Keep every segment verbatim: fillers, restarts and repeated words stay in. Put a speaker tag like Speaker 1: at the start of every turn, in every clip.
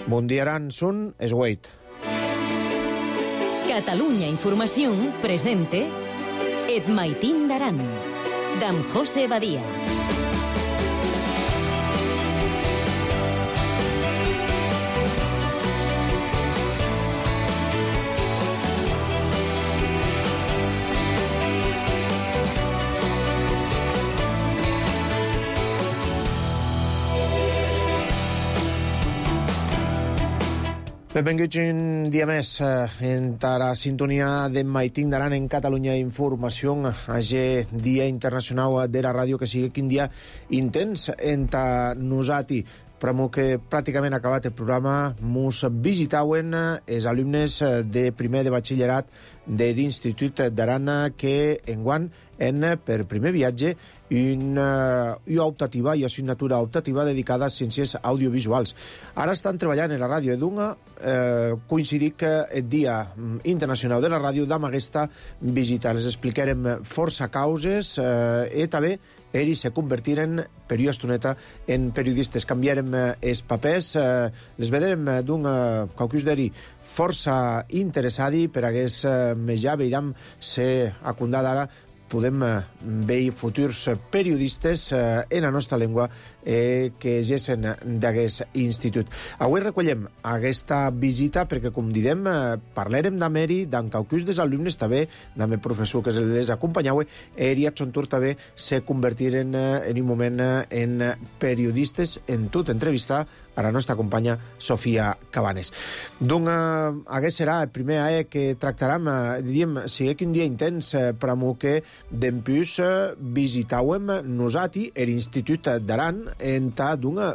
Speaker 1: Mundiaran Sun Esweit.
Speaker 2: Catalunya Informació presente Et Maitín d'Aran, d'en José Badia.
Speaker 1: Benvinguts un dia més en la sintonia d'en Maitín d'Aran en Catalunya Informació, aquest dia internacional de la ràdio, que sigui quin dia intens en ta nosati. Pramo que pràcticament acabat el programa, mos visitauen els alumnes de primer de batxillerat de l'Institut d'Aran, que enguany en per primer viatge una, una optativa i assignatura optativa dedicada a ciències audiovisuals. Ara estan treballant en la ràdio Edunga, eh, coincidir que el Dia Internacional de la Ràdio d'am aquesta visita. Les explicarem força causes eh, i també ells se convertiren per una estoneta en periodistes. Canviarem els papers, eh, les veurem d'un qualcus d'eri força interessadi per hagués eh, més ja veiram ser acundat ara podem veure futurs periodistes eh, en la nostra llengua eh, que gessen d'aquest institut. Avui recollem aquesta visita perquè, com direm, eh, parlarem d'Ameri, d'en qualcus dels alumnes també, d'en el professor que les acompanyava, i a Xontur també se convertiren eh, en un moment eh, en periodistes, en tot entrevistar a la nostra companya Sofia Cabanes. Doncs eh, aquest serà el primer A E que tractarem, eh, diríem, si és un dia intens eh, per a que dempús eh, visitàvem nosati l'Institut d'Aran en ta d'una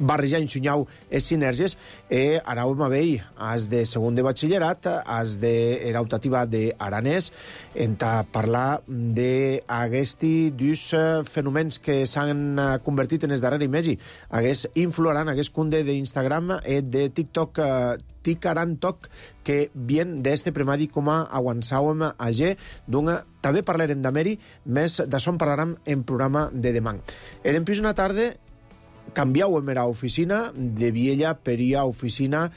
Speaker 1: barrejar i ensunyau les sinergies i anàvem a veure as de segon de batxillerat, as de l'optativa d'aranès, en ta parlar d'aquesti dos fenòmens que s'han convertit en els darrers mesos. Hagués influaran, hagués cunde d'Instagram i de TikTok, Ticarantoc, que bien d'este premadi com a avançàvem a G, doncs també parlarem d'Ameri, més d'això en parlarem en programa de demà. E dempús una tarda canviàvem a oficina de Viella per a oficina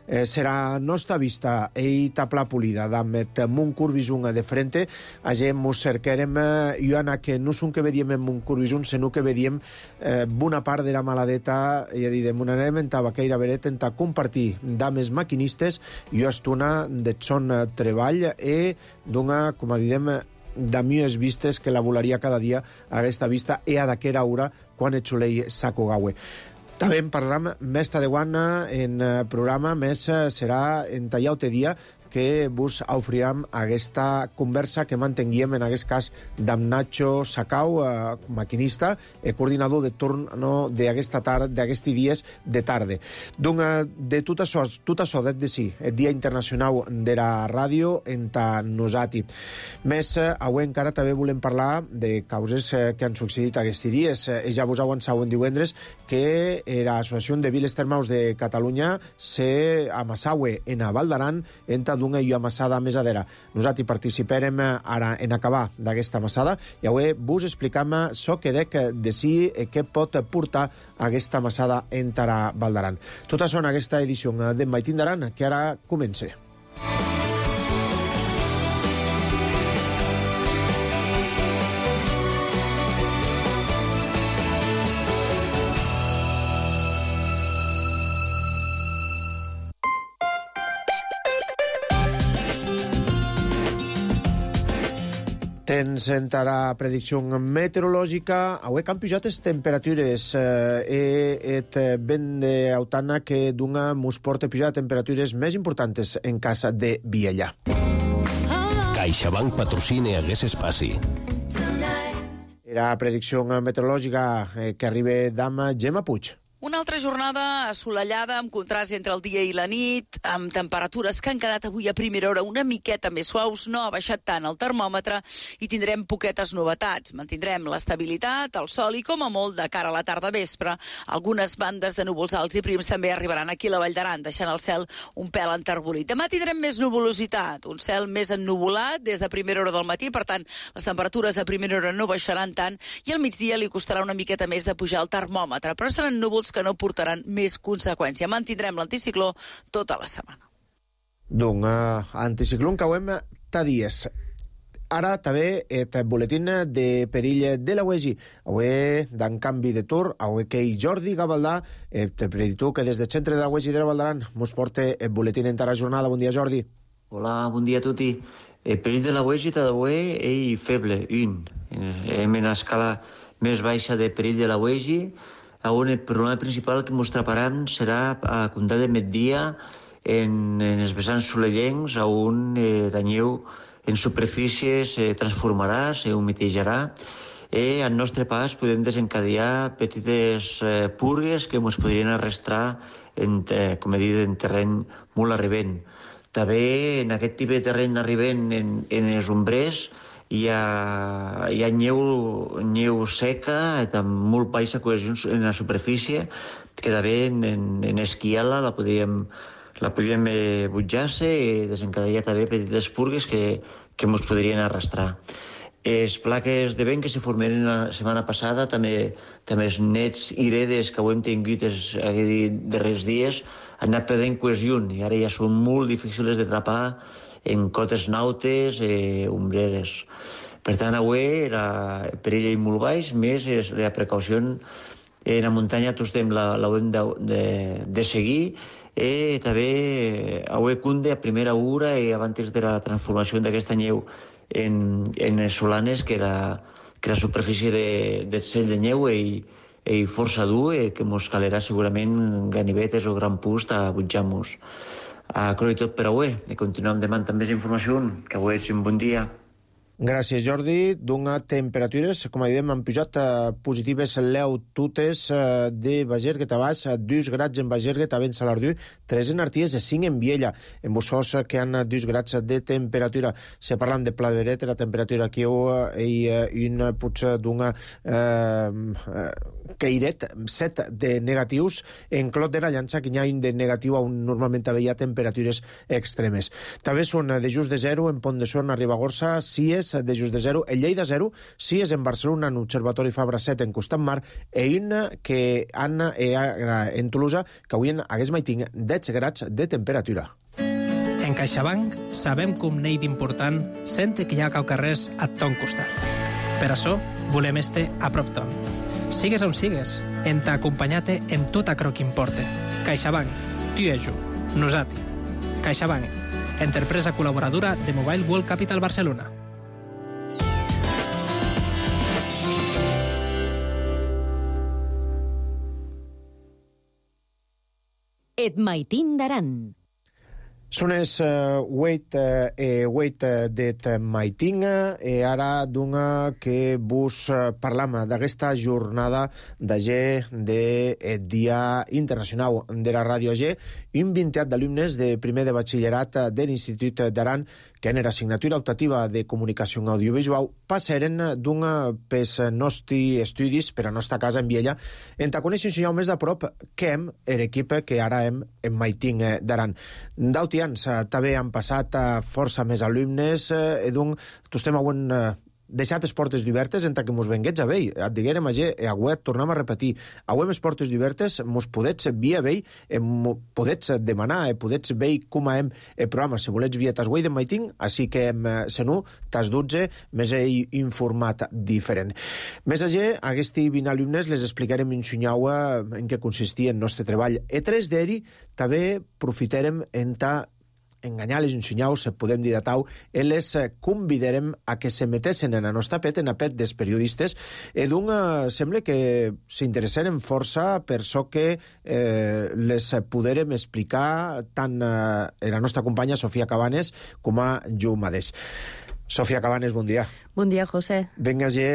Speaker 1: eh, serà nostra vista e tapla polida d'amet mon curvisun de frente. Agent mos cercarem eh, i ana que no són que vediem en mon curvisun, sinó que vediem eh, bona part de la maladeta, i a dir, de mon elementava que era veret enta compartir dames maquinistes i estona de son treball e dona, com a didem, de millors vistes que la volaria cada dia a aquesta vista e a d'aquera hora quan el soleil s'acogaue. També en parlarem més tardeuana en programa, més serà en tallau-te dia que vos ofrirem aquesta conversa que mantenguíem en aquest cas d'en Nacho Sacau, eh, maquinista i coordinador de torn no, d'aquesta tarda, d'aquests dies de tarda. Donc, eh, de tot això, tot això de, de sí, el Dia Internacional de la Ràdio en ta nosati. Més, eh, avui encara també volem parlar de causes eh, que han succeït aquests dies. Eh, ja vos avançau en divendres que l'Associació de Viles Termals de Catalunya se amassaue en a Val d'Aran en ta d'una i amassada més adera. Nosaltres participarem ara en acabar d'aquesta amassada i avui vos explicam això que dec de si què pot portar aquesta amassada en Tara Val d'Aran. Tot això en aquesta edició d'en Maitín d'Aran, que ara comença. Tens en la predicció meteorològica. Avui han pujat les temperatures eh, et ben d'autana que d'una mos porta a pujar temperatures més importants en casa de Viella.
Speaker 3: CaixaBank patrocina aquest espai.
Speaker 1: La predicció meteorològica eh, que arriba d'ama Gemma Puig.
Speaker 4: Una altra jornada assolellada, amb contrast entre el dia i la nit, amb temperatures que han quedat avui a primera hora una miqueta més suaus, no ha baixat tant el termòmetre i tindrem poquetes novetats. Mantindrem l'estabilitat, el sol i, com a molt, de cara a la tarda vespre, algunes bandes de núvols alts i prims també arribaran aquí a la Vall d'Aran, deixant el cel un pèl enterbolit. Demà tindrem més nuvolositat, un cel més ennuvolat des de primera hora del matí, per tant, les temperatures a primera hora no baixaran tant i al migdia li costarà una miqueta més de pujar el termòmetre, però seran núvols núvols que no portaran més conseqüència. Mantindrem l'anticicló tota la setmana.
Speaker 1: Doncs, uh, anticicló que hem ta dies. Ara també el boletín de perill de la U E G I. Avui, d'en canvi de tour, avui que Jordi Gavaldà, el preditor que des del centre de la U E G I de la Valdaran ens porta el boletín en la jornada. Bon dia, Jordi.
Speaker 3: Hola, bon dia a tutti. El perill de la U E G I d'avui és feble, un. Hem en l'escala més baixa de perill de la U E G I, on el problema principal que ens traparam serà a comptar de migdia en, en els vessants solellencs, on eh, la neu en superfície se transformarà, se humitejarà, i al nostre pas podem desencadenar petites eh, purgues que ens podrien arrastrar, en, eh, com he dit, en terreny molt arribent. També en aquest tipus de terreny arribent en, en els ombrers hi ha, hi ha neu, neu seca, amb molt baixa cohesió en la superfície, que també en, en, en esquiar-la la podríem la podríem eh, butjar-se i desencadenar també petites purgues que, que ens podrien arrastrar. Les plaques de vent que se formaren la setmana passada, també, també els nets i redes que ho hem tingut els darrers dies, han anat perdent cohesió i ara ja són molt difícils d'atrapar en cotes nautes i eh, ombreres. Per tant, avui el perill és molt baix, més la precaució en la muntanya tots la, la hem de, de, de seguir. I també avui cunde a primera hora i abans de la transformació d'aquesta neu en, en les solanes, que la, que la superfície de, del cell de neu és, és força dur i que ens calerà segurament ganivetes o gran pust a butjar-nos. A croi tot per avui i continuem demant amb més informació, que avui és un bon dia.
Speaker 1: Gràcies, Jordi. D'una temperatures, com dèiem, han pujat eh, positives leu tutes eh, de Bagerguet a baix, dos grads en Bagerguet, a ben Salardú, tres en Arties i cinc en Viella. En Bossós, que han dos grads de temperatura. Si parlam de Pla de Beret, la temperatura aquí hi ha un potser d'una eh, cairet, set de negatius. En Clot de la Llança, que hi ha un de negatiu, on normalment hi ha temperatures extremes. També són de just de zero en Pont de Suert, a Ribagorça, Cies, de just de zero, en Lleida zero, si és en Barcelona, en Observatori Fabra set, en Costat Mar, i una que han en Tolosa, que avui hagués maiting deu grads de temperatura.
Speaker 5: En CaixaBank sabem que un nei d'important sente que hi ha caucarrers a ton costat. Per això volem este a prop ton. Sigues on sigues, en t'acompanyate en tot acro que importe. CaixaBank, tu i jo, nosati. CaixaBank, empresa col·laboradora de Mobile World Capital Barcelona.
Speaker 2: Et maitin d'Aran.
Speaker 1: Són els uh, wait, uh, eh, wait uh, det maiting i eh, ara d'una que vos uh, parlam d'aquesta jornada de G de eh, Dia Internacional de la Ràdio G, un vintiat d'alumnes de primer de batxillerat de l'Institut d'Aran que en era assignatura optativa de comunicació audiovisual passaren d'una pels nostres estudis per a nostra casa en Viella en ta conèixer un senyal més de prop que hem l'equip que ara hem en maiting d'Aran. D'autians també han passat força més alumnes i doncs tu estem avui deixat les portes obertes entre que mos venguets a vell. Et diguérem a G, avui et tornem a repetir. Avui les portes obertes mos podets via vell, podets demanar, podets veure com hem el programa. Si volets via tas wei de maiting, així que senu tas dotze més he informat diferent. Més a G, aquests vint alumnes les explicarem un xunyau en què consistia el nostre treball. E tres d'eri també profitarem en ta enganyar-les un senyal, se podem dir de tau, i les convidarem a que se metessin en el nostre pet, en el pet dels periodistes, i d'un sembla que s'interessaren força per això que eh, les poderem explicar tant eh, la nostra companya Sofia Cabanes com a jo mateix. Sofia Cabanes, bon dia.
Speaker 6: Bon dia, José.
Speaker 1: Vinga, G,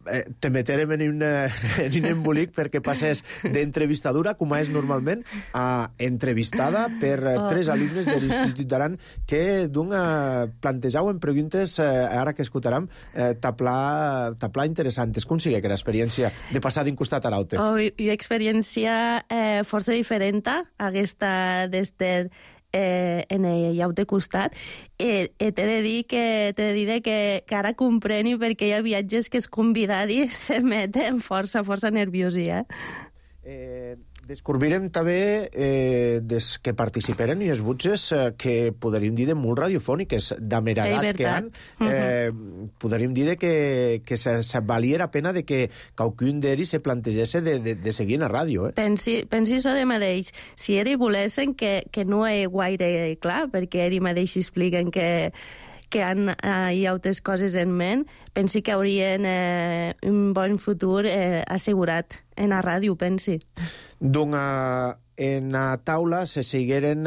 Speaker 1: Eh, te meterem en un, en un embolic perquè passes d'entrevistadora, com és normalment, a entrevistada per oh. tres alumnes de l'Institut d'Aran que d'un plantejaven preguntes, eh, ara que escoltarem, eh, taplar, taplar interessantes. Com sigue que l'experiència de passar d'un costat a l'altre?
Speaker 6: Oh, una experiència eh, força diferent a aquesta d'Ester eh, en el lloc de costat. Eh, eh, t'he de dir que t'he de dir que, que ara compreni perquè hi ha viatges que els convidats se meten força, força nerviosi, eh?
Speaker 1: Eh, descobrirem també eh, des que participaren i els butges eh, que podríem dir de molt radiofòniques, d'ameragat que han, eh, uh-huh. podríem dir de que, que se, se valia la pena de que qualcun d'ells se plantegés de, de, de seguir en la ràdio. Eh?
Speaker 6: Pensi, pensi això de mateix. Si ells volessin, que, que no és gaire clar, perquè ells mateix expliquen que que han, eh, hi ha altres coses en ment, pensi que haurien eh, un bon futur eh, assegurat en la ràdio, pensi.
Speaker 1: Doncs uh, en la taula se segueren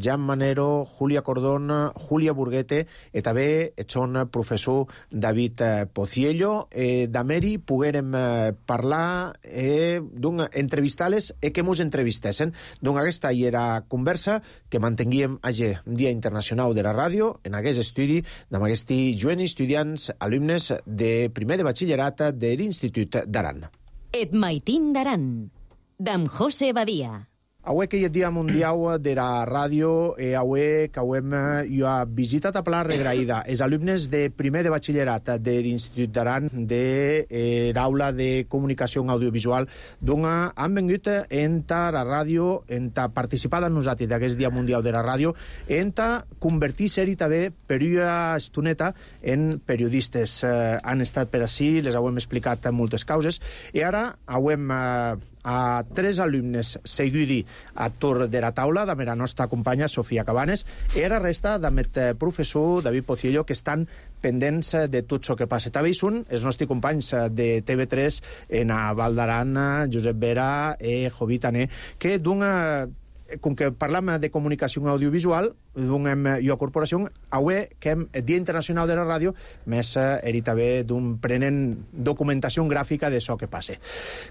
Speaker 1: Jan Manero, Julia Cordón, Julia Burguete i també son professor David Pociello. Eh, D'Ameri poguérem eh, parlar, eh, doncs entrevistar-les i que mos entrevistessin. Doncs aquesta hi era conversa que mantenguíem ayer, Dia Internacional de la Ràdio, en aquest estudi amb aquests joves estudiants, alumnes de primer de batxillerat de l'Institut d'Aran.
Speaker 2: Et Maitín d'Aran, d'en José Badia.
Speaker 1: Avui que hi ha Dia Mundial de la Ràdio, eh, avui que hem jo ha visitat a Pla Regraïda els alumnes de primer de batxillerat de l'Institut d'Aran de eh, l'aula de comunicació audiovisual, doncs han vingut a la ràdio, a participar amb nosaltres d'aquest Dia Mundial de la Ràdio, a convertir-se-hi també per una estoneta en periodistes. Eh, han estat per ací, les hem explicat moltes causes, i ara hem eh, a tres alumnes seguidi a torn de la taula, de la nostra companya Sofia Cabanes, i la resta d'aquest professor David Pociello, que estan pendents de tot el que passa. També hi són els nostres companys de T V tres en a Val d'Aran, Josep Vera i Jovit Ané, que d'una... com que parlam de comunicació audiovisual, donem jo a corporació, avui que hem Dia Internacional de la Ràdio, més eri també d'un prenent documentació gràfica d'això que passa.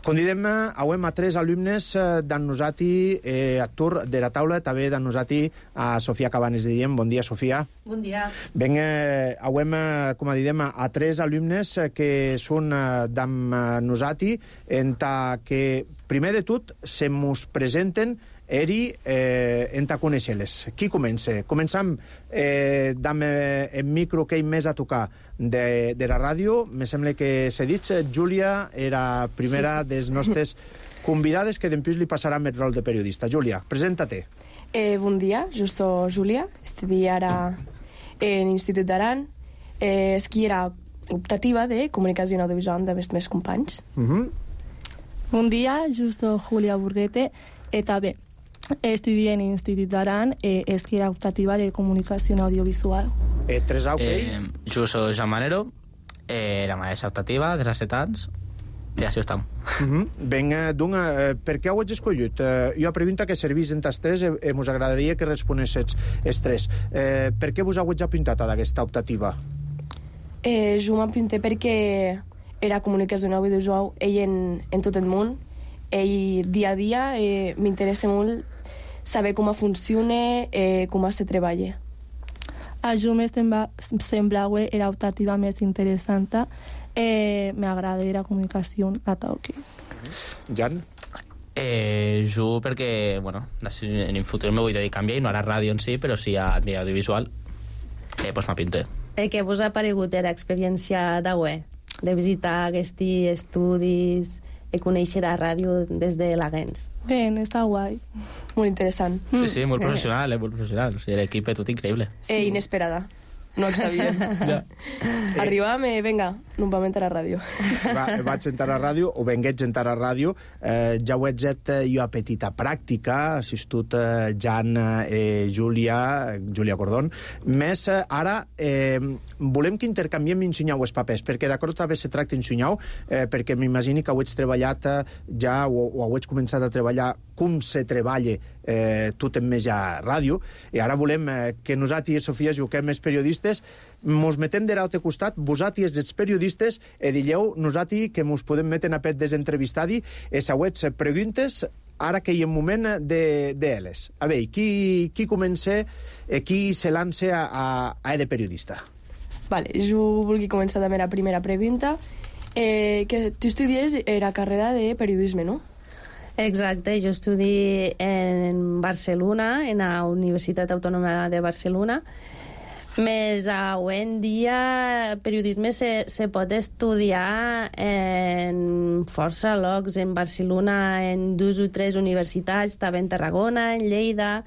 Speaker 1: Convidem avui a tres alumnes d'en nosati eh, a tur de la taula, també d'en nosati a Sofia Cabanes de Diem. Bon dia, Sofia.
Speaker 7: Bon dia.
Speaker 1: Ben, eh, avui, com a didem, a tres alumnes que són d'en nosati, en ta que primer de tot se mos presenten eri eh, en ta conèixer-les. Qui comença? Començam eh, amb el micro que hi més a tocar de, de la ràdio. Me sembla que s'ha dit, Júlia era primera sí, sí. des nostres convidades, que després li passarà el rol de periodista. Júlia, presenta-te.
Speaker 7: Eh, bon dia, jo soc Júlia, estudi ara en l'Institut d'Aran. Eh, esqui era optativa de comunicació audiovisual amb els meus companys.
Speaker 1: Uh-huh.
Speaker 8: Bon dia, jo soc Julia Burguete, i també estudi en l'Institut d'Aran, eh, esqui era optativa de comunicació audiovisual.
Speaker 1: Eh, tres A, ok?
Speaker 9: Eh, jo soc Jan Manero, eh, la mateixa optativa, de set anys, i així estem.
Speaker 1: Uh-huh. Ben, doncs, eh, per què ho ets escollit? Eh, jo a pregunta que servís en tas tres, eh, mos agradaria que responessis els tres. Eh, per què vos heu apuntat a aquesta optativa?
Speaker 7: Eh, jo m'apunté perquè era comunicació audiovisual ell en, en tot el món. Ell dia a dia eh, m'interessa molt saber com funciona, eh, com se treballa.
Speaker 8: A jo me sembla, sembla que era optativa més interessant. Eh, m'agrada la comunicació a toque.
Speaker 1: Jan?
Speaker 9: Eh, jo perquè, bueno, en el futur me vull dedicar a mi, no a la ràdio en si, però sí a mi audiovisual. Eh, pues m'apinté.
Speaker 6: Eh, què vos ha paregut l'experiència d'avui? De visitar aquests estudis i conèixer la ràdio des de l'Agens?
Speaker 8: Bé, està guai.
Speaker 7: Molt interessant.
Speaker 9: Sí, sí, molt professional, eh, molt professional. O sigui, l'equip és tot increïble.
Speaker 7: Sí. Eh, inesperada. No ho sabíem. Ja. Arribàvem i, vinga, no vam entrar a la ràdio.
Speaker 1: Va, vaig entrar a la ràdio, o venguets entrar a la ràdio. Eh, ja ho he fet jo a petita pràctica, assistut eh, Jan, eh, Júlia, Júlia Cordón. Més eh, ara eh, volem que intercanviem i ensenyeu els papers, perquè d'acord també se tracta d'ensenyar, eh, perquè m'imagini que ho ets treballat eh, ja, o, o ho ets començat a treballar com se treballa eh, tot en més a ràdio, i ara volem eh, que nosaltres i Sofia juguem els periodistes, mos metem de l'altre costat, vosaltres ets periodistes, i dilleu nosaltres que mos podem metre a pet desentrevistar-hi, i següents preguntes, ara que hi ha un moment de, de elles. A veure, qui, qui comença, eh, qui se lança a, a, a de periodista?
Speaker 7: Vale, jo vulgui començar també la primera pregunta. Eh, que tu estudies la carrera de periodisme, no?
Speaker 6: Exacte, jo estudi en Barcelona, en la Universitat Autònoma de Barcelona. Més avui en dia periodisme se, se pot estudiar en força llocs, en Barcelona, en dues o tres universitats, també en Tarragona, en Lleida,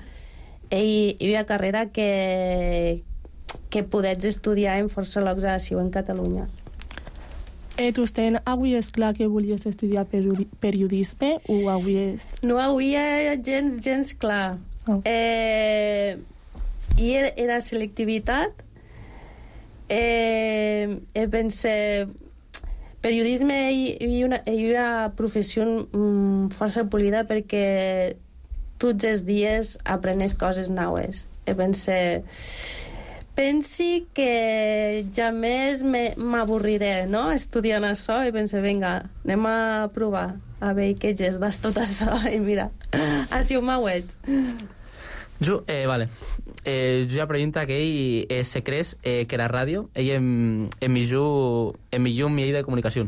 Speaker 6: i hi ha carrera que, que podets estudiar en força llocs així en Catalunya.
Speaker 8: Eh, tu ten, avui és clar que volies estudiar periodi periodisme o avui és...
Speaker 6: No, avui és gens, gens clar.
Speaker 8: Oh.
Speaker 6: Eh... I era, era selectivitat. Eh, eh, pense, periodisme hi una, hi una professió mm, força polida perquè tots els dies aprenes coses noves. Eh, pense, pensi que ja més m'avorriré, no?, estudiant això, i pense, vinga, anem a provar a veure què és tot això, i mira, així ho m'auets.
Speaker 9: Jo, eh, vale. Eh, jo ja pregunta que ell eh, se creus eh, que la ràdio ell em, em millor em millor mi de comunicació.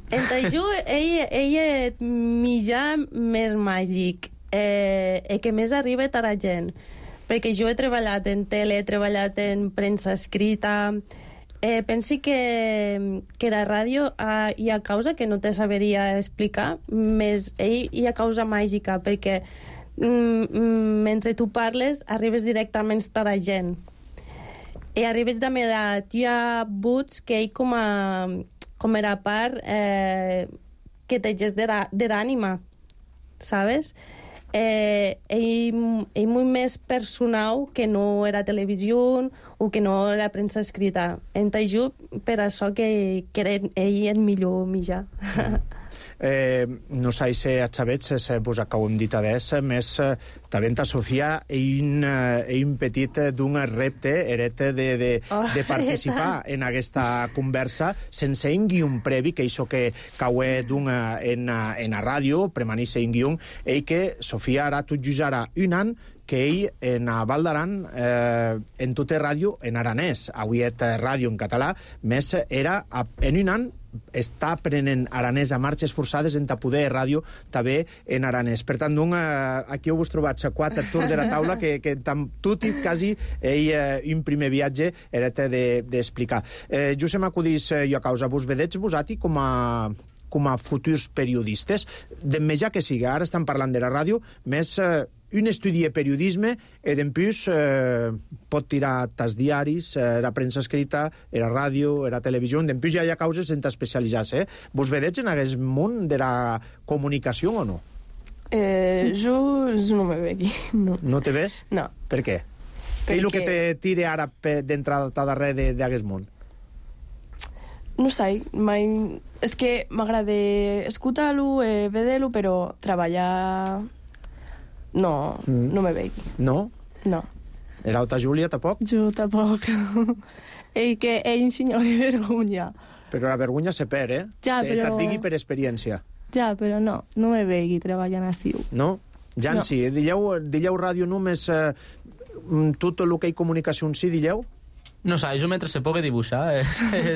Speaker 6: Entre jo, ell, ell és mitjà més màgic, eh, eh, que més arriba a la gent, perquè jo he treballat en tele, he treballat en premsa escrita, eh, pensi que, que la ràdio eh, hi ha causa que no te saberia explicar, més ell hi ha causa màgica, perquè Mm, mentre tu parles arribes directament a la gent i arribes de manera hi ha buts que ell com a com era part eh, que te gest de l'ànima, sabes? Eh, ell, ell molt més personal que no era televisió o que no era premsa escrita. Entenc per això que, que era ell el millor mitjà.
Speaker 1: Eh, no sé si a Xavets se vos acabem dit adés, més eh, també a Sofia un, eh, un petit d'un repte eret de, de,
Speaker 6: oh,
Speaker 1: de participar en aquesta conversa sense un guion previ, que això que caué d'un en, en a ràdio, premanisse un guion, i que Sofia ara tot just ara un any que ell en a Val d'Aran eh, en tota ràdio en aranès, avui és ràdio en català, més era en un any està aprenent aranès a marxes forçades en poder ràdio també en aranès. Per tant, un, eh, aquí heu vos trobat a quatre actors de la taula que, que tam, tot i quasi ell, eh, un primer viatge era d'explicar. De, eh, jo se m'acudís eh, jo a causa vos vedets vosati com a com a futurs periodistes, de ja que sigui, ara estan parlant de la ràdio, més eh, un estudi de periodisme i d'empús eh, pot tirar tas diaris, eh, la premsa escrita, la ràdio, la televisió, d'empús ja hi ha causes en especialitzar-se. Eh? Vos vedets en aquest món de la comunicació o no?
Speaker 7: Eh, jo, jo no me veig, no.
Speaker 1: No te ves?
Speaker 7: No.
Speaker 1: Per què? Què és el que te tire ara d'entrada darrere d'aquest món?
Speaker 7: No sé, mai... És que m'agrada escoltar-lo, eh, veure-lo, però treballar... No, mm. no me veig.
Speaker 1: No?
Speaker 7: No.
Speaker 1: Era alta Júlia, tampoc?
Speaker 8: Jo tampoc. Ell que ell ensenyor de vergonya.
Speaker 1: Però la vergonya se perd, eh?
Speaker 8: Ja, però...
Speaker 1: Et digui per experiència.
Speaker 8: Ja, però no, no me veig treballant així.
Speaker 1: No? Ja en
Speaker 8: no.
Speaker 1: sí. Dilleu, dilleu ràdio només eh, tot el que hi comunicació en si, dilleu?
Speaker 9: No sé, jo mentre se pugui dibuixar, eh,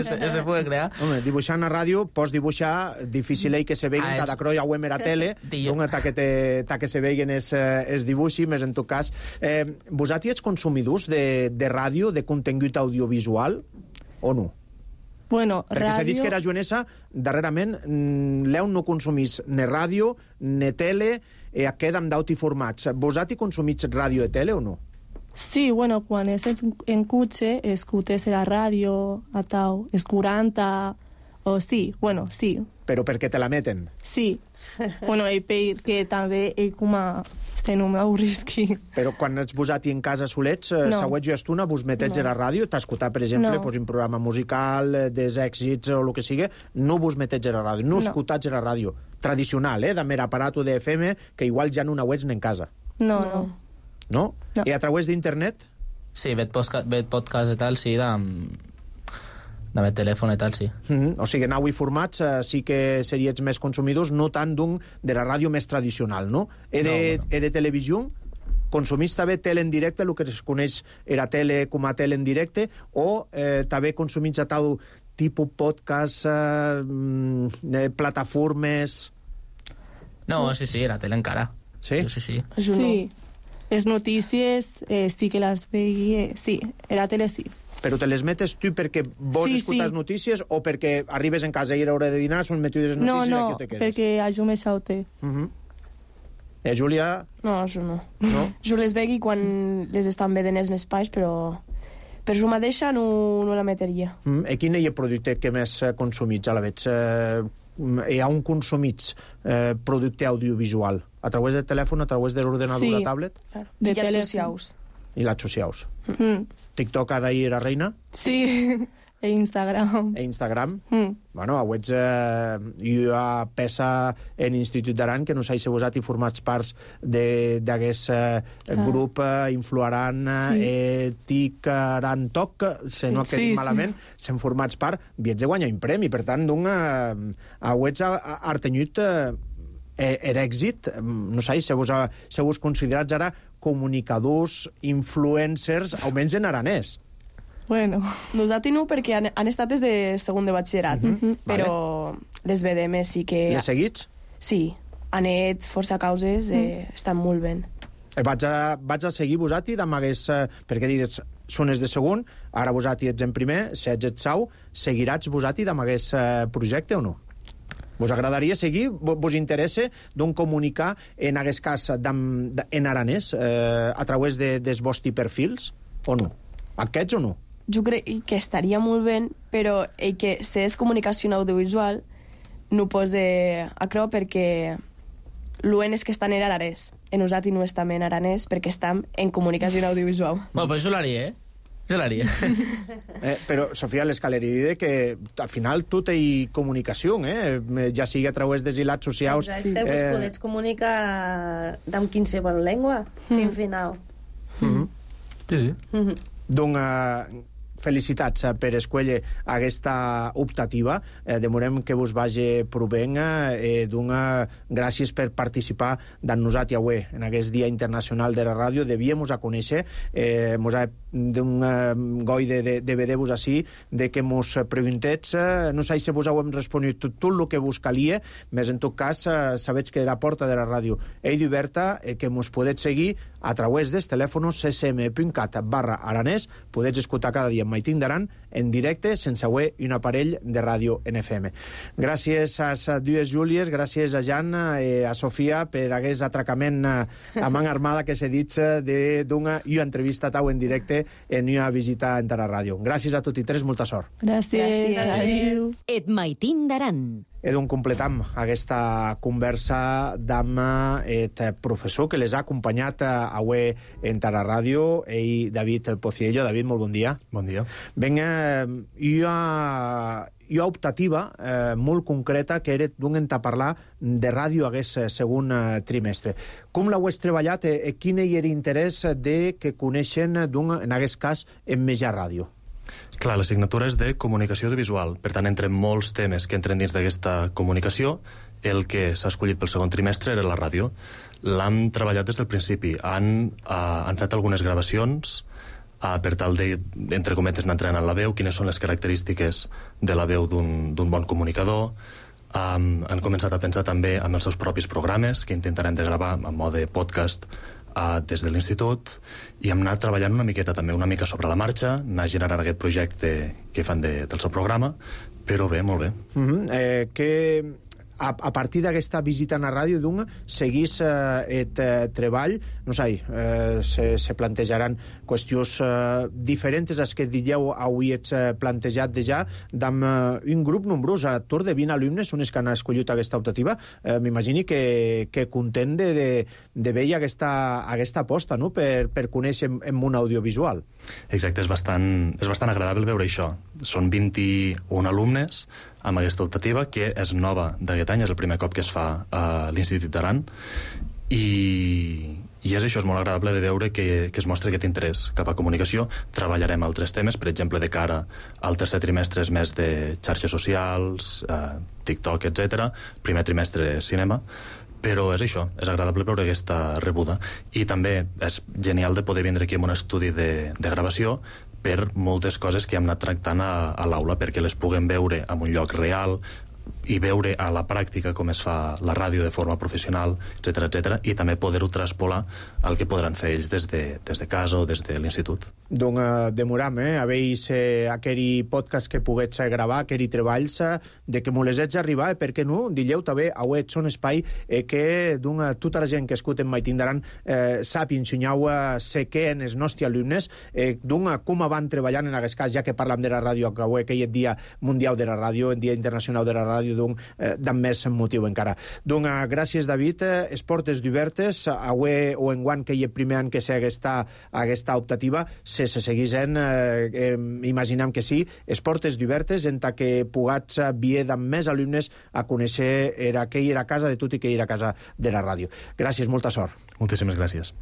Speaker 9: se, se pugui crear.
Speaker 1: Home, dibuixant a ràdio, pots dibuixar, difícil és que se veguen, ah, cada croia o a tele, una ta que, te, ta que se veguen és, és dibuixi, més en tot cas. Eh, vosaltres ets consumidors de, de ràdio, de contingut audiovisual, o no?
Speaker 8: Bueno,
Speaker 1: perquè
Speaker 8: ràdio...
Speaker 1: s'ha dit que era Joanessa, darrerament, l'eu no consumís ni ràdio, ni tele, i aquest amb d'auti formats. Vosaltres consumits ràdio i tele o no?
Speaker 8: Sí, bueno, quan és en, en cotxe, escoltes la ràdio, a tau, els quaranta, o sí, bueno, sí.
Speaker 1: Però perquè te la meten?
Speaker 8: Sí. Bueno, i perquè també ell com a... Se no m'avorrisqui.
Speaker 1: Però quan ets posat en casa solets, no. Següents i estona, vos metets no. a la ràdio, t'escoltar, per exemple, no. pues, un programa musical, des èxits o el que sigui, no vos metets a la ràdio, no, no. escoltats a la ràdio. Tradicional, eh, de mer aparato de F M, que igual ja no ho ets en casa.
Speaker 8: No, no. no.
Speaker 1: No? no? I a través d'internet?
Speaker 9: Sí, veig podcast, veig podcast i tal, sí, de, de veig telèfon i tal, sí.
Speaker 1: Mm-hmm. O sigui, en avui formats eh, sí que seríets més consumidors, no tant d'un de la ràdio més tradicional, no? E de, no, bueno. e de televisió, consumís també tele en directe, el que es coneix era tele com a tele en directe, o eh, també consumits a tal tipus podcast, eh, plataformes...
Speaker 9: No, sí, sí, era tele encara.
Speaker 1: Sí?
Speaker 9: Sí, sí.
Speaker 8: Sí. Les notícies eh, sí que les veia, sí, a la tele sí.
Speaker 1: Però te les metes tu perquè vols
Speaker 8: Sí,
Speaker 1: escoltar
Speaker 8: sí.
Speaker 1: notícies o perquè arribes en casa i era hora de dinar, són metides les
Speaker 8: No,
Speaker 1: notícies i
Speaker 8: no,
Speaker 1: aquí te quedes?
Speaker 8: perquè això me saute.
Speaker 1: Uh -huh. Eh, Júlia?
Speaker 7: No, això no.
Speaker 1: No?
Speaker 7: Jo les vegui quan les estan vedent els meus pais, però per jo mateixa no, no la meteria.
Speaker 1: Mm, I quin és el producte que més eh, consumits a la vegada? Eh, hi ha un consumits eh, producte audiovisual? A través del telèfon, a través de l'ordenador,
Speaker 8: Sí.
Speaker 1: la tablet?
Speaker 7: Claro.
Speaker 8: De
Speaker 7: I els
Speaker 8: telèfon.
Speaker 7: socials.
Speaker 1: I les socials.
Speaker 8: Mm.
Speaker 1: TikTok ara hi era reina?
Speaker 8: Sí, e Instagram.
Speaker 1: E Instagram?
Speaker 8: Mm.
Speaker 1: Bueno, avets eh, hi ha peça en l'Institut d'Aran que no s'ha usat i formats parts d'aquest eh, grup eh, Influaran
Speaker 8: Sí.
Speaker 1: eh, Tic Aran Toc, si
Speaker 8: Sí,
Speaker 1: no que
Speaker 8: sí,
Speaker 1: dic
Speaker 8: sí.
Speaker 1: malament, s'han formats part, viets de guanyar un premi. Per tant, d'un, eh, avets ha, ha tenyut eh, era èxit, no sé, si vos, si vos considerats ara comunicadors, influencers, almenys en aranès.
Speaker 8: Bueno,
Speaker 7: Nosaltres no, perquè han, han estat des de segon de batxillerat,
Speaker 1: Mhm,
Speaker 7: però les B D M sí que...
Speaker 1: Les seguits?
Speaker 7: Sí, han anat força causes, eh, estan molt bé.
Speaker 1: Eh, Vaig a, vaig a seguir vosati amb hagués... Eh, perquè dius, són els de segon, ara vosati ets en primer, si ets et sau, seguiràs vosati amb hagués eh, projecte o no? Vos agradaria seguir? Vos, vos interessa d'un comunicar, en aquest cas, d'am- d- en aranès, eh, a través de, dels vostres perfils, o no? Aquests o no?
Speaker 7: Jo crec que estaria molt bé, però el que és comunicació audiovisual no posa a creu perquè l'uen és que estan en aranès. En nosaltres no estem en aranès perquè estem en comunicació audiovisual.
Speaker 9: Bueno, pues jo l'haria, eh? Jo l'haria.
Speaker 1: Eh, però, Sofia, l'escaleri diu que al final tot hi comunicació, eh? Ja sigui a través dels hilats socials...
Speaker 6: Exacte, eh... pues podets comunicar amb qualsevol llengua, fin final.
Speaker 1: Mm-hmm.
Speaker 9: Sí, sí.
Speaker 6: Mm-hmm.
Speaker 1: Doncs uh, felicitats uh, per escollir aquesta optativa. Eh, demorem que vos vagi provent. Eh, doncs, gràcies per participar d'en nosaltres avui en aquest Dia Internacional de la Ràdio. Devíem a conèixer, eh, mos ha d'un uh, goi de, de, de veure-vos així, de que mos preguntets, uh, no sé si vos heu responut tot, tot el que vos calia, més en tot cas, uh, sabets que la porta de la ràdio és oberta, eh, que mos podets seguir a través dels telèfons c c m punt cat barra aranès, podets escoltar cada dia en Maitín d'Aran en directe, sense haver un aparell de ràdio en F M. Gràcies a les dues Júlies, gràcies a Jan i a Sofia per aquest atracament a man armada que s'ha dit d'una entrevista tau en directe en una visita en la ràdio. Gràcies a tots i tres, molta sort.
Speaker 8: gràcies.
Speaker 7: Gràcies.
Speaker 8: Adéu.
Speaker 2: Et Maitín d'Aran.
Speaker 1: E doncs completam aquesta conversa amb el professor que les ha acompanyat avui en la ràdio, ell, David Pociello. David, molt bon dia.
Speaker 10: Bon dia.
Speaker 1: Vinga, hi ha, hi ha optativa eh, molt concreta que era d'un a parlar de ràdio aquest segon eh, trimestre. Com l'heu treballat i eh, quin és l'interès de que coneixen, en aquest cas, en Mitjà Ràdio?
Speaker 10: Clar, l'assignatura és de comunicació audiovisual. Per tant, entre molts temes que entren dins d'aquesta comunicació, el que s'ha escollit pel segon trimestre era la ràdio. L'hem treballat des del principi. Han, uh, han fet algunes gravacions uh, per tal de, entre cometes, anar entrenant la veu, quines són les característiques de la veu d'un bon comunicador. Um, han començat a pensar també en els seus propis programes, que intentarem de gravar en mode podcast uh, des de l'institut, i hem anat treballant una miqueta també, una mica sobre la marxa, anar generant aquest projecte que fan de, del seu programa, però bé, molt bé.
Speaker 1: Mm-hmm. eh, que a, a partir d'aquesta visita a la ràdio, doncs, seguís eh, el eh, treball, no sé, eh, se, se plantejaran qüestions eh, diferents a les que dieu avui ets eh, plantejat de ja, d'amb eh, un grup nombrós, a tour de vint alumnes, són els que han escollit aquesta optativa. Eh, M'imagini que, que content de, de, de veure aquesta, aquesta aposta, no?, per, per conèixer en, en un audiovisual.
Speaker 10: Exacte, és bastant, és bastant agradable veure això. Són vint-i-un alumnes amb aquesta optativa, que és nova d'aquest any, és el primer cop que es fa a l'Institut d'Aran, i, i és això, és molt agradable de veure que, que es mostra aquest interès cap a comunicació. Treballarem altres temes, per exemple, de cara al tercer trimestre és més de xarxes socials, eh, TikTok, etcètera. Primer trimestre cinema, però és això, és agradable veure aquesta rebuda. I també és genial de poder vindre aquí amb un estudi de, de gravació per moltes coses que hem anat tractant a, a l'aula, perquè les puguem veure en un lloc real, i veure a la pràctica com es fa la ràdio de forma professional, etcètera, etcètera, i també poder-ho traspolar al que podran fer ells des de, des de casa o des de l'institut.
Speaker 1: Donc, uh, demoram, eh? Aveis eh, aquell podcast que poguets gravar, aquell treballs, eh, de que molesets arribar, eh? Per què no? Dilleu també, auet son espai eh, que doncs, tota la gent que escuten Maitín d'Aran eh, sap i ensenyau eh, sé què en els nostres alumnes, eh, doncs, com van treballant en aquest cas, ja que parlam de la ràdio, que avui aquell dia mundial de la ràdio, el dia internacional de la ràdio, doncs, eh, d'en més motiu encara. Doncs, eh, gràcies, David. Eh, es portes d'obertes, avui o enguant que hi ha primer any que sé aquesta, aquesta optativa, se se seguís en, eh, eh, imaginem que sí, es portes d'obertes en ta que pugats vier d'en més alumnes a conèixer era que hi era a casa de tot i que hi era a casa de la ràdio. Gràcies, molta sort.
Speaker 10: Moltíssimes gràcies.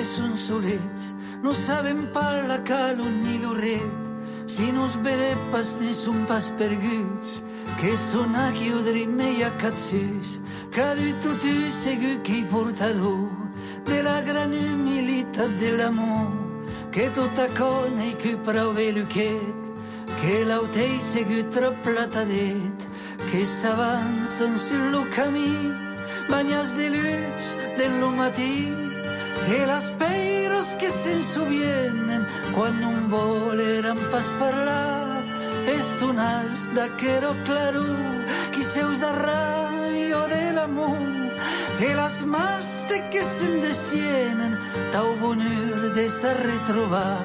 Speaker 11: Són solets, no sabem parlar calor ni l'orret, si no es vede pas ne són pas perguts, que són a chiudere i a cazzes, que du tot u segur qui portador de la gran humilitat de l'amor, que tot acona i que prove l'uquet, que l'autei segur trop platadet, que s'avancen sur lo camí, banyats de luz del matí, e las peiros que se'n sovienen quan non voleran pas parlar estonats d'aquero claro qui seus arraio de l'amor e las maste que se'n destienen tau bonheur de se retrobar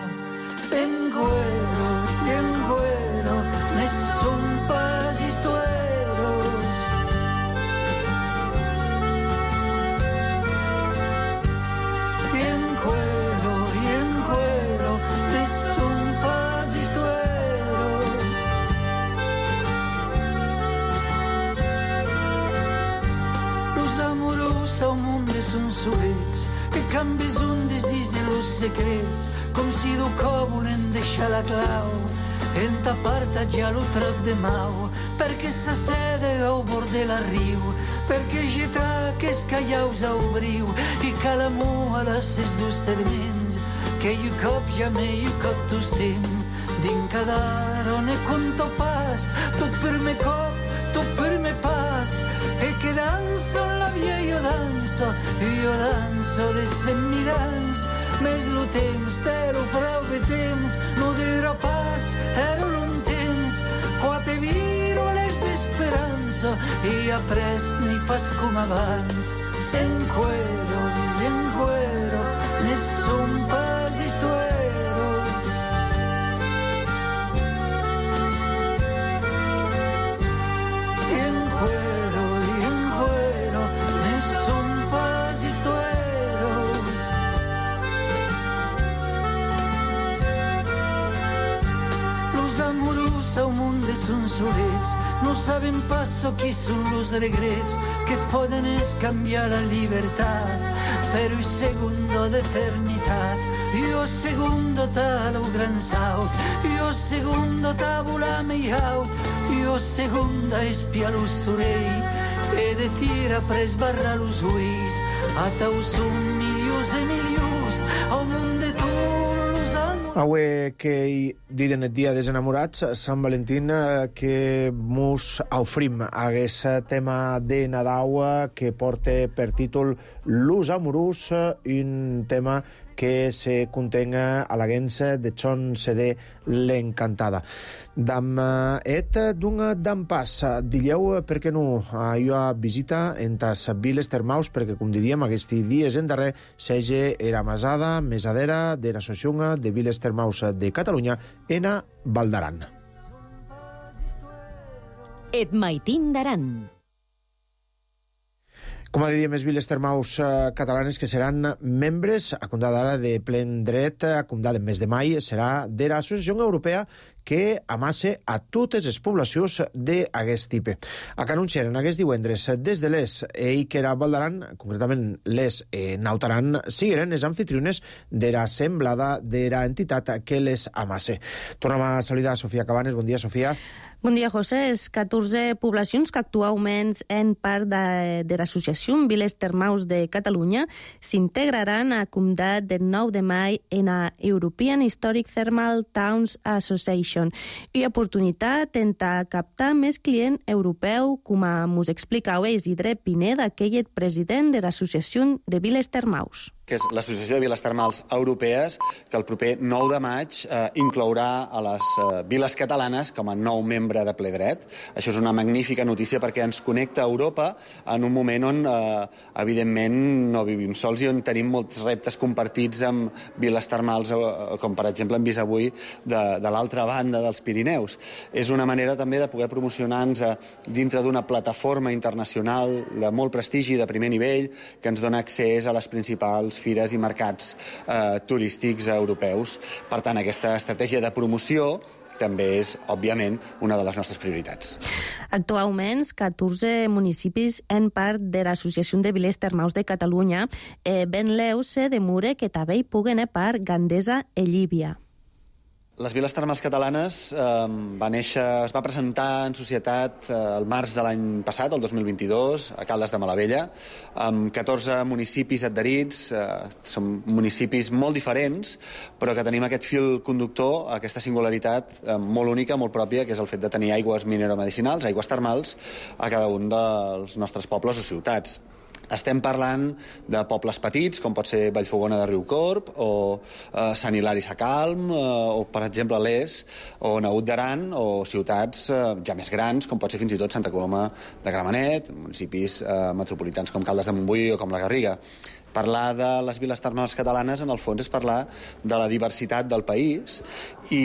Speaker 11: en cuero y en cuero ne son pas histueros són solets, que canvis un des disen los secrets, com si do cor volen deixar la clau, en ta part ja lo trap de mau, perquè s'assede au bord de la riu, perquè geta que es callaus au briu, i que l'amor a les ses dos serments, que i cop ja me i cop tostem, din cadar on e conto pas, tot per me cop, tot per me pas, e que danzo la via io danzo, io danzo de cent mil anys, més lo temps, t'ero prou de temps, no dura pas, ero l'un temps, qua te viro les d'esperança, i aprest ni pas com abans, en cuero, en cuero, ne son pas histueros. Al món de són solets, no sabem pas qui són los regrets que es poden escanviar la llibertat per un segundo d'eternitat. Io segundo ta lo gran saut, io segundo ta volar mi aut, io segunda espia lo sorell e de tira pres barra los ulls, a tau són milions e milions al món de tu.
Speaker 1: Avui que diden el dia dels enamorats, Sant Valentín, que mos ofrim aquest tema de Nadal que porta per títol Los Amorós, un tema que se contenga a la guença de Chon C D l'Encantada. Dam et d'un dam pas, dilleu, per què no, jo visita en tas viles termaus, perquè, com diríem, aquests dies en darrer, sege era masada, mesadera de l'Associació de Viles Termaus de Catalunya, ena Val d'Aran.
Speaker 2: Et Maitín d'Aran.
Speaker 1: Com a diem, les viles termaus eh, catalanes que seran membres, a comptar d'ara de plen dret, a comptar del mes de maig, serà de l'Associació Europea que amasse a totes les poblacions d'aquest tipus. A Canonxer, en aquest divendres, des de l'Es i que era Valdaran, concretament l'Es eh, Nautaran, sigueren les anfitriunes de la semblada de la entitat que les amasse. Tornem a saludar a Sofia Cabanes. Bon dia, Sofia.
Speaker 6: Bon dia, José. Les catorze poblacions que actualment en part de, de l'associació Viles Termals de Catalunya s'integraran a Comdat del nou de maig en la European Historic Thermal Towns Association i oportunitat en captar més client europeu, com us explicau Isidre Pineda, que és president de l'associació de Viles Termals,
Speaker 12: que és l'Associació de Viles Termals Europees, que el proper nou de maig eh, inclourà a les eh, viles catalanes com a nou membre de ple dret. Això és una magnífica notícia perquè ens connecta a Europa en un moment on, eh, evidentment, no vivim sols i on tenim molts reptes compartits amb viles termals, eh, com per exemple hem vist avui de, de l'altra banda dels Pirineus. És una manera també de poder promocionar-nos eh, dintre d'una plataforma internacional de molt prestigi, de primer nivell, que ens dona accés a les principals fires i mercats eh, turístics europeus. Per tant, aquesta estratègia de promoció també és, òbviament, una de les nostres prioritats.
Speaker 6: Actualment, catorze municipis en part de l'Associació de Viles Termals de Catalunya eh, ben leu-se de mure que també hi puguen a part Gandesa i Llívia.
Speaker 12: Les Viles Termals Catalanes eh, va néixer, es va presentar en societat eh, el març de l'any passat, el dos mil vint-i-dos, a Caldes de Malavella, amb catorze municipis adherits. Eh, són municipis molt diferents, però que tenim aquest fil conductor, aquesta singularitat eh, molt única, molt pròpia, que és el fet de tenir aigües mineromedicinals, aigües termals, a cada un dels nostres pobles o ciutats. Estem parlant de pobles petits, com pot ser Vallfogona de Riucorb, o eh, Sant Hilari Sacalm, eh, o, per exemple, l'Es, o Naut d'Aran, o ciutats eh, ja més grans, com pot ser fins i tot Santa Coloma de Gramenet, municipis eh, metropolitans com Caldes de Montbui o com la Garriga. Parlar de les viles termals catalanes, en el fons, és parlar de la diversitat del país i,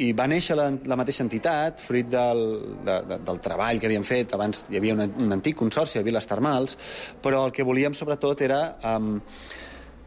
Speaker 12: i va néixer la, la mateixa entitat, fruit del, de, de, del treball que havíem fet. Abans hi havia una, un antic consorci de viles termals, però el que volíem, sobretot, era Um,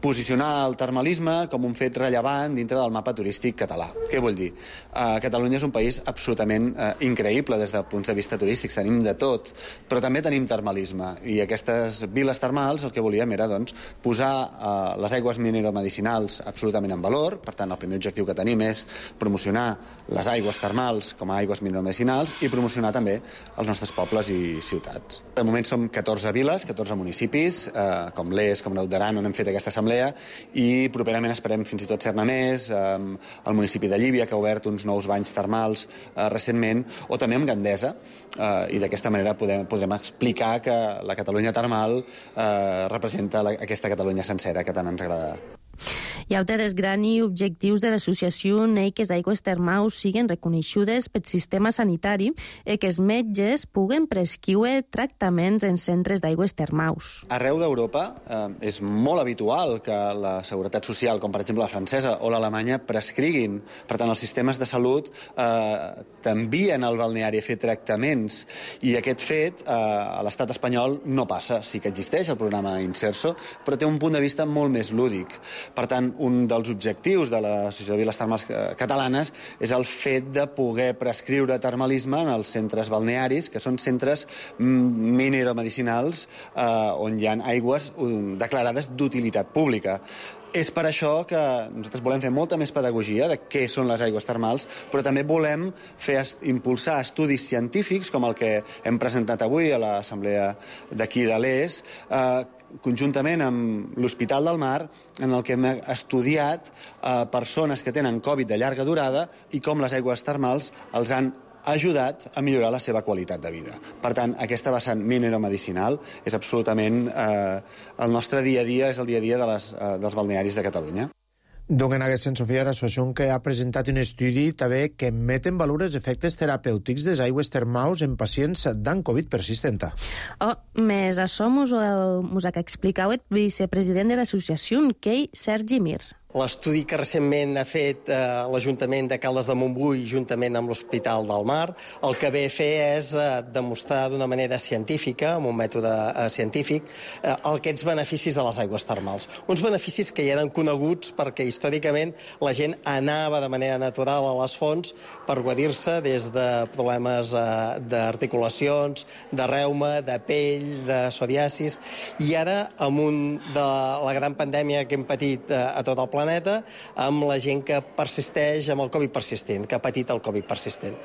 Speaker 12: posicionar el termalisme com un fet rellevant dintre del mapa turístic català. Què vull dir? Uh, Catalunya és un país absolutament uh, increïble des de punts de vista turístics, tenim de tot, però també tenim termalisme, i aquestes viles termals el que volíem era, doncs, posar uh, les aigües mineromedicinals absolutament en valor. Per tant, el primer objectiu que tenim és promocionar les aigües termals com a aigües mineromedicinals i promocionar també els nostres pobles i ciutats. De moment som catorze viles, catorze municipis, uh, com l'Es, com Naut d'Aran, on hem fet aquesta assemblea, i properament esperem fins i tot ser-ne més, eh, el municipi de Llívia, que ha obert uns nous banys termals eh, recentment, o també amb Gandesa, eh, i d'aquesta manera podem, podrem explicar que la Catalunya termal eh, representa la, aquesta Catalunya sencera que tant ens agrada.
Speaker 6: Hi ha altres grans objectius de l'associació en que les aigües termals siguin reconeixudes pel sistema sanitari i que els metges puguen prescriure tractaments en centres d'aigües termals.
Speaker 12: Arreu d'Europa eh, és molt habitual que la seguretat social, com per exemple la francesa o l'alemanya, prescriguin. Per tant, els sistemes de salut eh, t'envien al balneari a fer tractaments, i aquest fet eh, a l'estat espanyol no passa. Sí que existeix el programa Inserso, però té un punt de vista molt més lúdic. Per tant, un dels objectius de l'Associació de Viles Termals Catalanes és el fet de poder prescriure termalisme en els centres balnearis, que són centres mineromedicinals eh, on hi ha aigües declarades d'utilitat pública. És per això que nosaltres volem fer molta més pedagogia de què són les aigües termals, però també volem fer impulsar estudis científics, com el que hem presentat avui a l'assemblea d'aquí de l'Es, eh, conjuntament amb l'Hospital del Mar, en el que hem estudiat eh, persones que tenen Covid de llarga durada i com les aigües termals els han ajudat a millorar la seva qualitat de vida. Per tant, aquesta vessant mineromedicinal és absolutament eh, el nostre dia a dia, és el dia a dia de les, eh, dels balnearis de Catalunya.
Speaker 1: Donc, en aquest sentit, Sofia, l'associació que ha presentat un estudi també que met en valor els efectes terapèutics des aigües termals en pacients d'an Covid persistent.
Speaker 6: Oh, més això mos, mos ha explicat el vicepresident de l'associació, Kei Sergi Mir.
Speaker 13: l'estudi que recentment ha fet eh, l'Ajuntament de Caldes de Montbui juntament amb l'Hospital del Mar, el que ve a fer és eh, demostrar d'una manera científica, amb un mètode eh, científic, eh, aquests beneficis de les aigües termals. Uns beneficis que ja eren coneguts perquè històricament la gent anava de manera natural a les fonts per guarir-se des de problemes eh, d'articulacions, de reuma, de pell, de psoriasis, i ara, amb un de la gran pandèmia que hem patit eh, a tot el planeta, amb la gent que persisteix amb el Covid persistent, que ha patit el Covid persistent.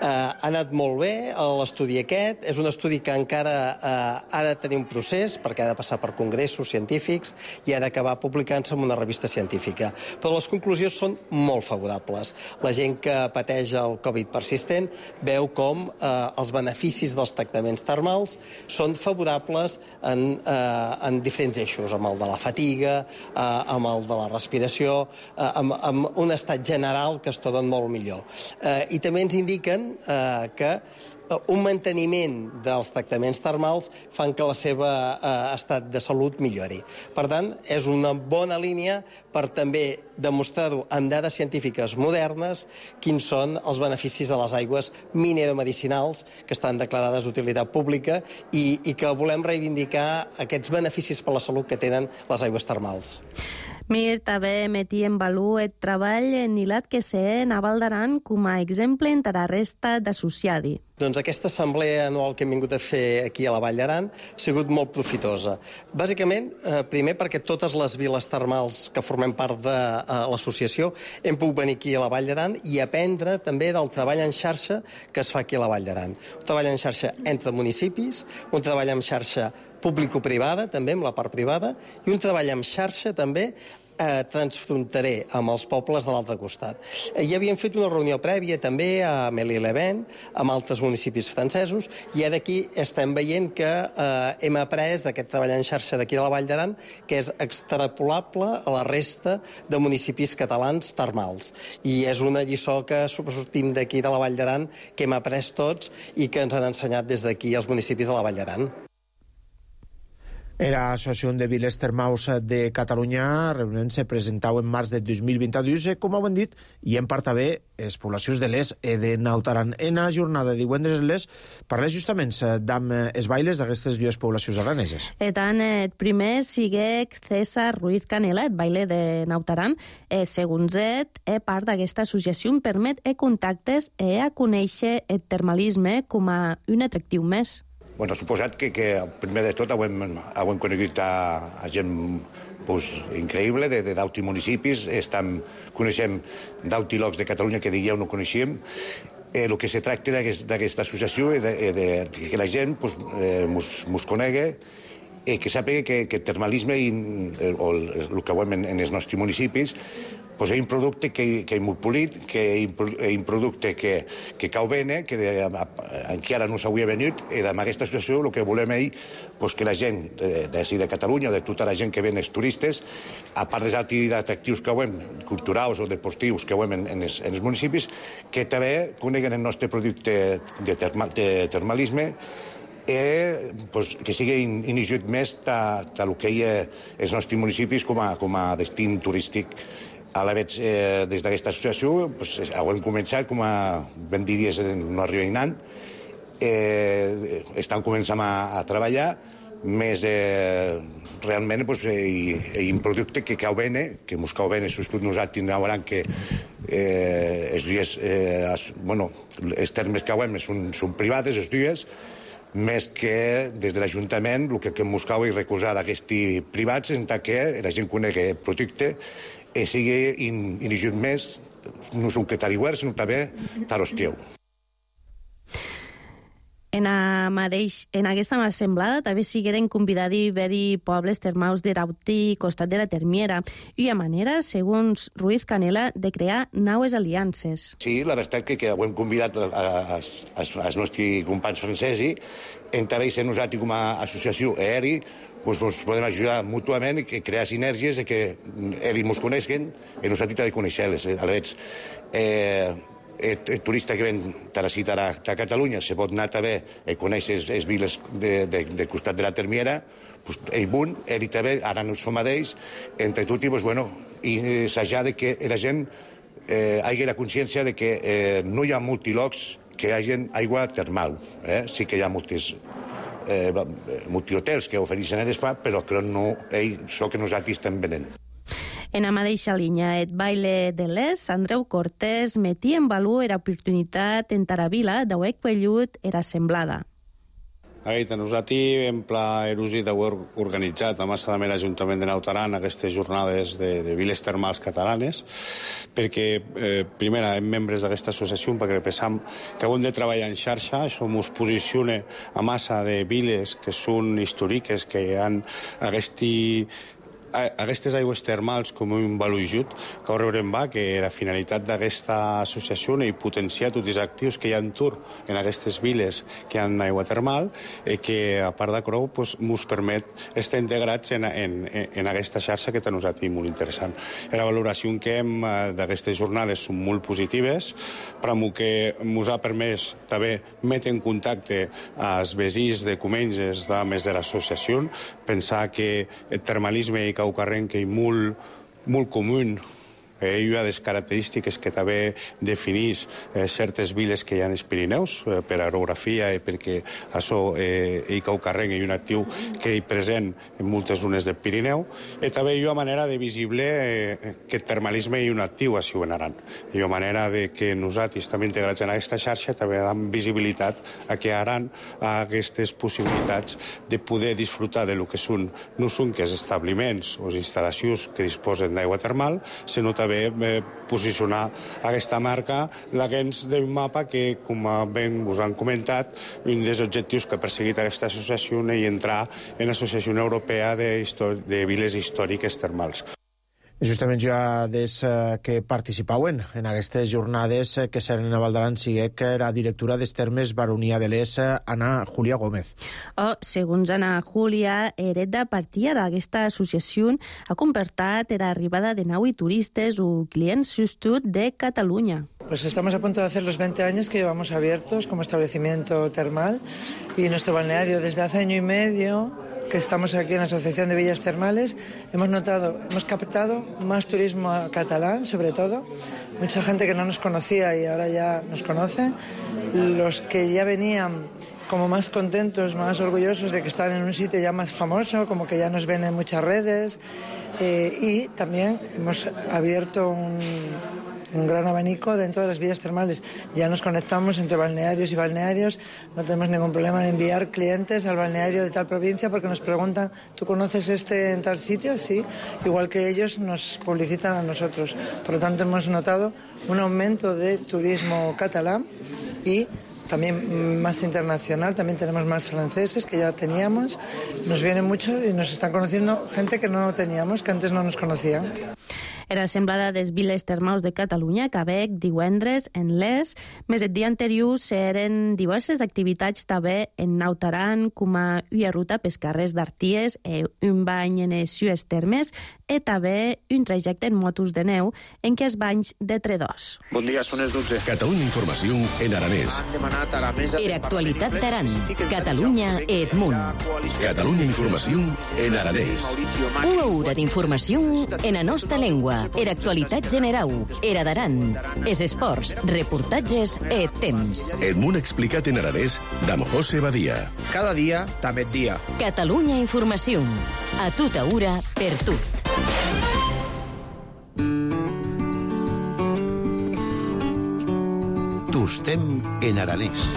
Speaker 13: Eh, ha anat molt bé l'estudi aquest, és un estudi que encara eh, ha de tenir un procés perquè ha de passar per congressos científics i ha d'acabar publicant-se en una revista científica. Però les conclusions són molt favorables. La gent que pateix el Covid persistent veu com eh, els beneficis dels tractaments termals són favorables en, eh, en diferents eixos, amb el de la fatiga, eh, amb el de la respiració, eh, amb, amb un estat general que es troben molt millor. Eh, I també ens indiquen eh, que un manteniment dels tractaments termals fan que la seva eh, estat de salut millori. Per tant, és una bona línia per també demostrar-ho amb dades científiques modernes quins són els beneficis de les aigües mineromedicinals que estan declarades d'utilitat pública i, i que volem reivindicar aquests beneficis per la salut que tenen les aigües termals.
Speaker 6: Mir també metí en valor el treball enilat que s'ha en Val d'Aran com a exemple entre la resta d'associadi.
Speaker 13: Doncs aquesta assemblea anual que hem vingut a fer aquí a la Vall d'Aran ha sigut molt profitosa. Bàsicament, eh, primer perquè totes les viles termals que formem part de eh, l'associació hem pogut venir aquí a la Vall d'Aran i aprendre també del treball en xarxa que es fa aquí a la Vall d'Aran. Un treball en xarxa entre municipis, un treball en xarxa público-privada, també amb la part privada, i un treball en xarxa també eh, transfronterer amb els pobles de l'altre costat. Eh, ja havíem fet una reunió prèvia també a Mélie-les-Bains, amb altres municipis francesos, i ara aquí estem veient que eh, hem après d'aquest treball en xarxa d'aquí de la Vall d'Aran, que és extrapolable a la resta de municipis catalans termals. I és una lliçó que sortim d'aquí de la Vall d'Aran, que hem après tots i que ens han ensenyat des d'aquí els municipis de la Vall d'Aran.
Speaker 1: Era Associació de Viles Termals de Catalunya, reunint-se presentau en març de dos mil vint-i-dos, com heu dit, i en part també les poblacions de l'Es e de Naut Aran. En la jornada de divendres en l'Es parla justament d'amb els bailes d'aquestes dues poblacions araneses.
Speaker 6: E tant, el primer sigue César Ruiz Canela, el baile de Naut Aran. Eh, segons ell, eh, part d'aquesta associació permet eh, contactes i eh, a conèixer el termalisme com a un atractiu més.
Speaker 14: Bueno, suposat que, que primer de tot hem, hem conegut a, a gent pues, increïble de, de d'altres municipis. Estem, coneixem d'altres llocs de Catalunya que diríeu no coneixíem. Eh, el que se tracta d'aquesta associació és de, de, de que la gent pues, eh, mos, mos conegui i que sàpiga que, que el termalisme i, o el, el que veiem en, en els nostres municipis pues és un producte que, que és molt polit, que és un producte que, que cau bé, que de, encara no s'hauria venut, i amb aquesta associació el que volem és pues, que la gent de, de, de Catalunya, de tota la gent que ven els turistes, a part dels altres atractius que veiem, culturals o deportius que veiem en, en, els, en els municipis, que també coneguen el nostre producte de, terma, de termalisme, i pues, que sigui iniciat més del que hi ha els nostres municipis com a, com a destí turístic. A la veig, eh, des d'aquesta associació, pues, hem començat, com a ben diries, no arribem anant, eh, estan començant a, a treballar, més eh, realment pues, hi ha un producte que cau bé, que mos cau bé, sobretot nosaltres veuran que eh, els dies, eh, bueno, els termes que veiem són, són privades, els dies, més que des de l'Ajuntament el que, que mos cau és recolzar d'aquests privats en tant que la gent conegui el producte i sigui iniciat més, no és un catariguer, sinó també tarosteu.
Speaker 6: En, a mateix, en aquesta assemblada també sigueren convidats a veure pobles termals de Rauti, costat de la Termiera, i a manera, segons Ruiz Canela, de crear noves aliances.
Speaker 14: Sí, la veritat que, que ho hem convidat als nostres companys francesos, entre ells nosaltres com a associació aeri, doncs ens podem ajudar mútuament i crear sinergies i que ells ens coneixen i nosaltres també conèixer-les. Aleshores, eh, el, el turista que ven de la ciutat de Catalunya se pot anar també a conèixer les viles de, de, del costat de la Termiera, doncs ell bun, ell també, ara no som a ells, entre tots, doncs, bueno, i assajar de que la gent eh, hagi la consciència de que eh, no hi ha multilocs que hi hagi aigua termal. Eh? Sí que hi ha moltes eh, multihotels que ofereixen l'espa, però que no és el que nosaltres estem venent.
Speaker 6: En la mateixa línia, el baile de l'Es, Andreu Cortés metia en valor l'oportunitat en Taravila d'haver quellut era semblada.
Speaker 15: Aita, nosaltres hem pla erosit d'haver organitzat a massa de l'Ajuntament de Nautaran aquestes jornades de, de viles termals catalanes, perquè, eh, primera, hem membres d'aquesta associació, perquè pensam que hem de treballar en xarxa, això ens posiciona a massa de viles que són històriques, que han aquesta aquestes aigües termals com un valor ajut, que veurem va que la finalitat d'aquesta associació és potenciar tots els actius que hi ha en tur en aquestes viles que hi ha aigua termal i que, a part de creu, ens pues, permet estar integrats en, en, en aquesta xarxa que per nosaltres és molt interessant. La valoració que hem d'aquestes jornades són molt positives, però que ens ha permès també metre en contacte als veïns de Comenges, més de l'associació, pensar que el termalisme i Caucarrenc és molt, molt comú. Eh, hi ha des característiques que també defineix eh, certes viles que hi ha als Pirineus, eh, per aerografia i perquè això, eh, i Caucarrenc és un actiu que és present en moltes zones del Pirineu, i també hi ha manera de visible eh, que el termalisme és un actiu així en Aran. Hi ha manera de que nosaltres també integrats en aquesta xarxa també dam visibilitat a que Aran ha aquestes possibilitats de poder disfrutar de lo que són no són que els establiments o les instal·lacions que disposen d'aigua termal, sinó també posicionar aquesta marca dins d'un mapa que, com ben us han comentat, un dels objectius que ha perseguit aquesta associació és entrar en l'Associació Europea de, de Viles Històriques Termals.
Speaker 1: Justament ja des que participauen en aquestes jornades que seran a Val d'Aran sigue que la directora dels termes Baronia de l'Es, Ana Júlia Gómez.
Speaker 6: Oh, segons Ana Júlia, eret de partir d'aquesta associació ha comportat l'arribada de nou turistes o clients justos de Catalunya.
Speaker 16: Pues estamos a punto de hacer los veinte años que llevamos abiertos como establecimiento termal y nuestro balneario desde hace año y medio que estamos aquí en la Asociación de Villas Termales, hemos notado, hemos captado más turismo catalán, sobre todo, mucha gente que no nos conocía y ahora ya nos conoce, los que ya venían como más contentos, más orgullosos de que están en un sitio ya más famoso, como que ya nos ven en muchas redes, eh, y también hemos abierto un... un gran abanico dentro de las villas termales. Ya nos conectamos entre balnearios y balnearios, no tenemos ningún problema en enviar clientes al balneario de tal provincia porque nos preguntan, ¿tú conoces este en tal sitio? Sí, igual que ellos nos publicitan a nosotros. Por lo tanto, hemos notado un aumento de turismo catalán y también más internacional, también tenemos más franceses que ya teníamos, nos vienen mucho y nos están conociendo gente que no teníamos, que antes no nos conocían.
Speaker 6: Era semblada des viles termals de Catalunya, que bec divendres en l'Es. Més el dia anterior eren diverses activitats també en Nautaran, com a una ruta pels carrers d'Arties, eh, un bany en els sues termes, i també un trajecte en motos de neu en què els banys de tredors.
Speaker 1: Bon dia, són les dotze.
Speaker 17: Catalunya Informació en aranès.
Speaker 2: Era actualitat d'Aran. Catalunya et munt.
Speaker 17: Catalunya Informació en aranès.
Speaker 2: Una hora d'informació en la nostra llengua. Era actualitat generau. Era d'Aran. Es esports, reportatges et temps.
Speaker 17: El munt explicat en aranès d'Am José Badia.
Speaker 1: Cada dia, també dia.
Speaker 2: Catalunya Informació. A tota hora, per tot.
Speaker 17: Tostem en aranès.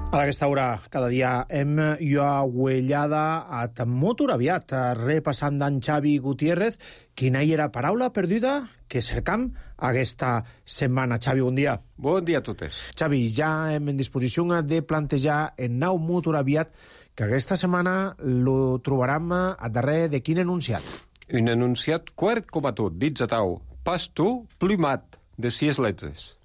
Speaker 1: A aquesta hora, cada dia, hem lloaguellada a motor aviat, repassant d'en Xavi Gutiérrez, quina hi era paraula perduda que cercam aquesta setmana. Xavi, bon dia.
Speaker 18: Bon dia a totes.
Speaker 1: Xavi, ja hem en disposició de plantejar en nou motor aviat que aquesta setmana lo trobarem a darrere de quin enunciat?
Speaker 18: Un enunciat quart com a tot, dits a tau, pas tu, plumat, de sis letzes.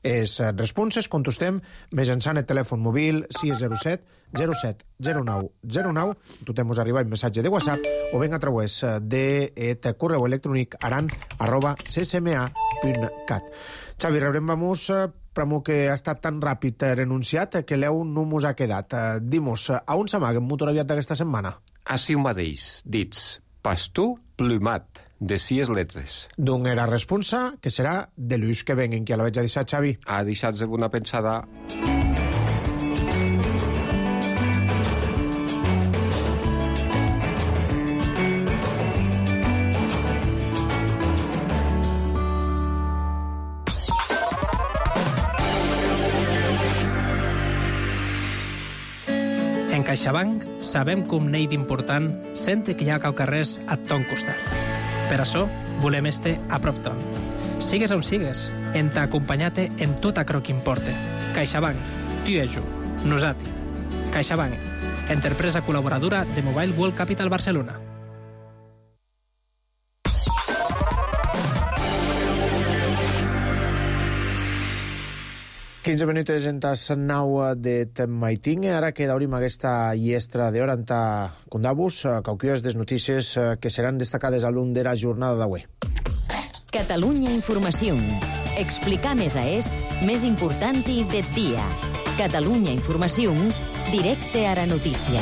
Speaker 1: Les responses contestem mitjançant el telèfon mòbil sis zero set zero set zero nou zero nou, totem us arribar un missatge de WhatsApp o ben a través del correu electrònic aran arroba ccma punt cat. Xavi, rebrem vamos pramo que ha estat tan ràpid renunciat que l'eu no mos ha quedat. Dimos, a on s'amaga en motor aviat d'aquesta setmana?
Speaker 18: Així mateix, dits pastor plumat, de sis letres.
Speaker 1: D'un era responsa, que serà de l'ús que venguen, que la veig a deixar, Xavi.
Speaker 18: Ha deixat de una pensada.
Speaker 5: En CaixaBank sabem com n'hi d'important sente que hi ha cau carrers a ton costat. Per això volem este a prop ton. Sigues on sigues, en t'acompanyate en tot acro que importe. CaixaBank, tu i jo, nosati. CaixaBank, empresa col·laboradora de Mobile World Capital Barcelona.
Speaker 1: quinze minuts en tas nau de Maiting. Ara que daurim aquesta llestra d'hora en ta condabus, cauquies des notícies que seran destacades a l'un de la jornada d'avui.
Speaker 2: Catalunya Informació. Explicar més a és més important i de dia. Catalunya Informació, directe a la notícia.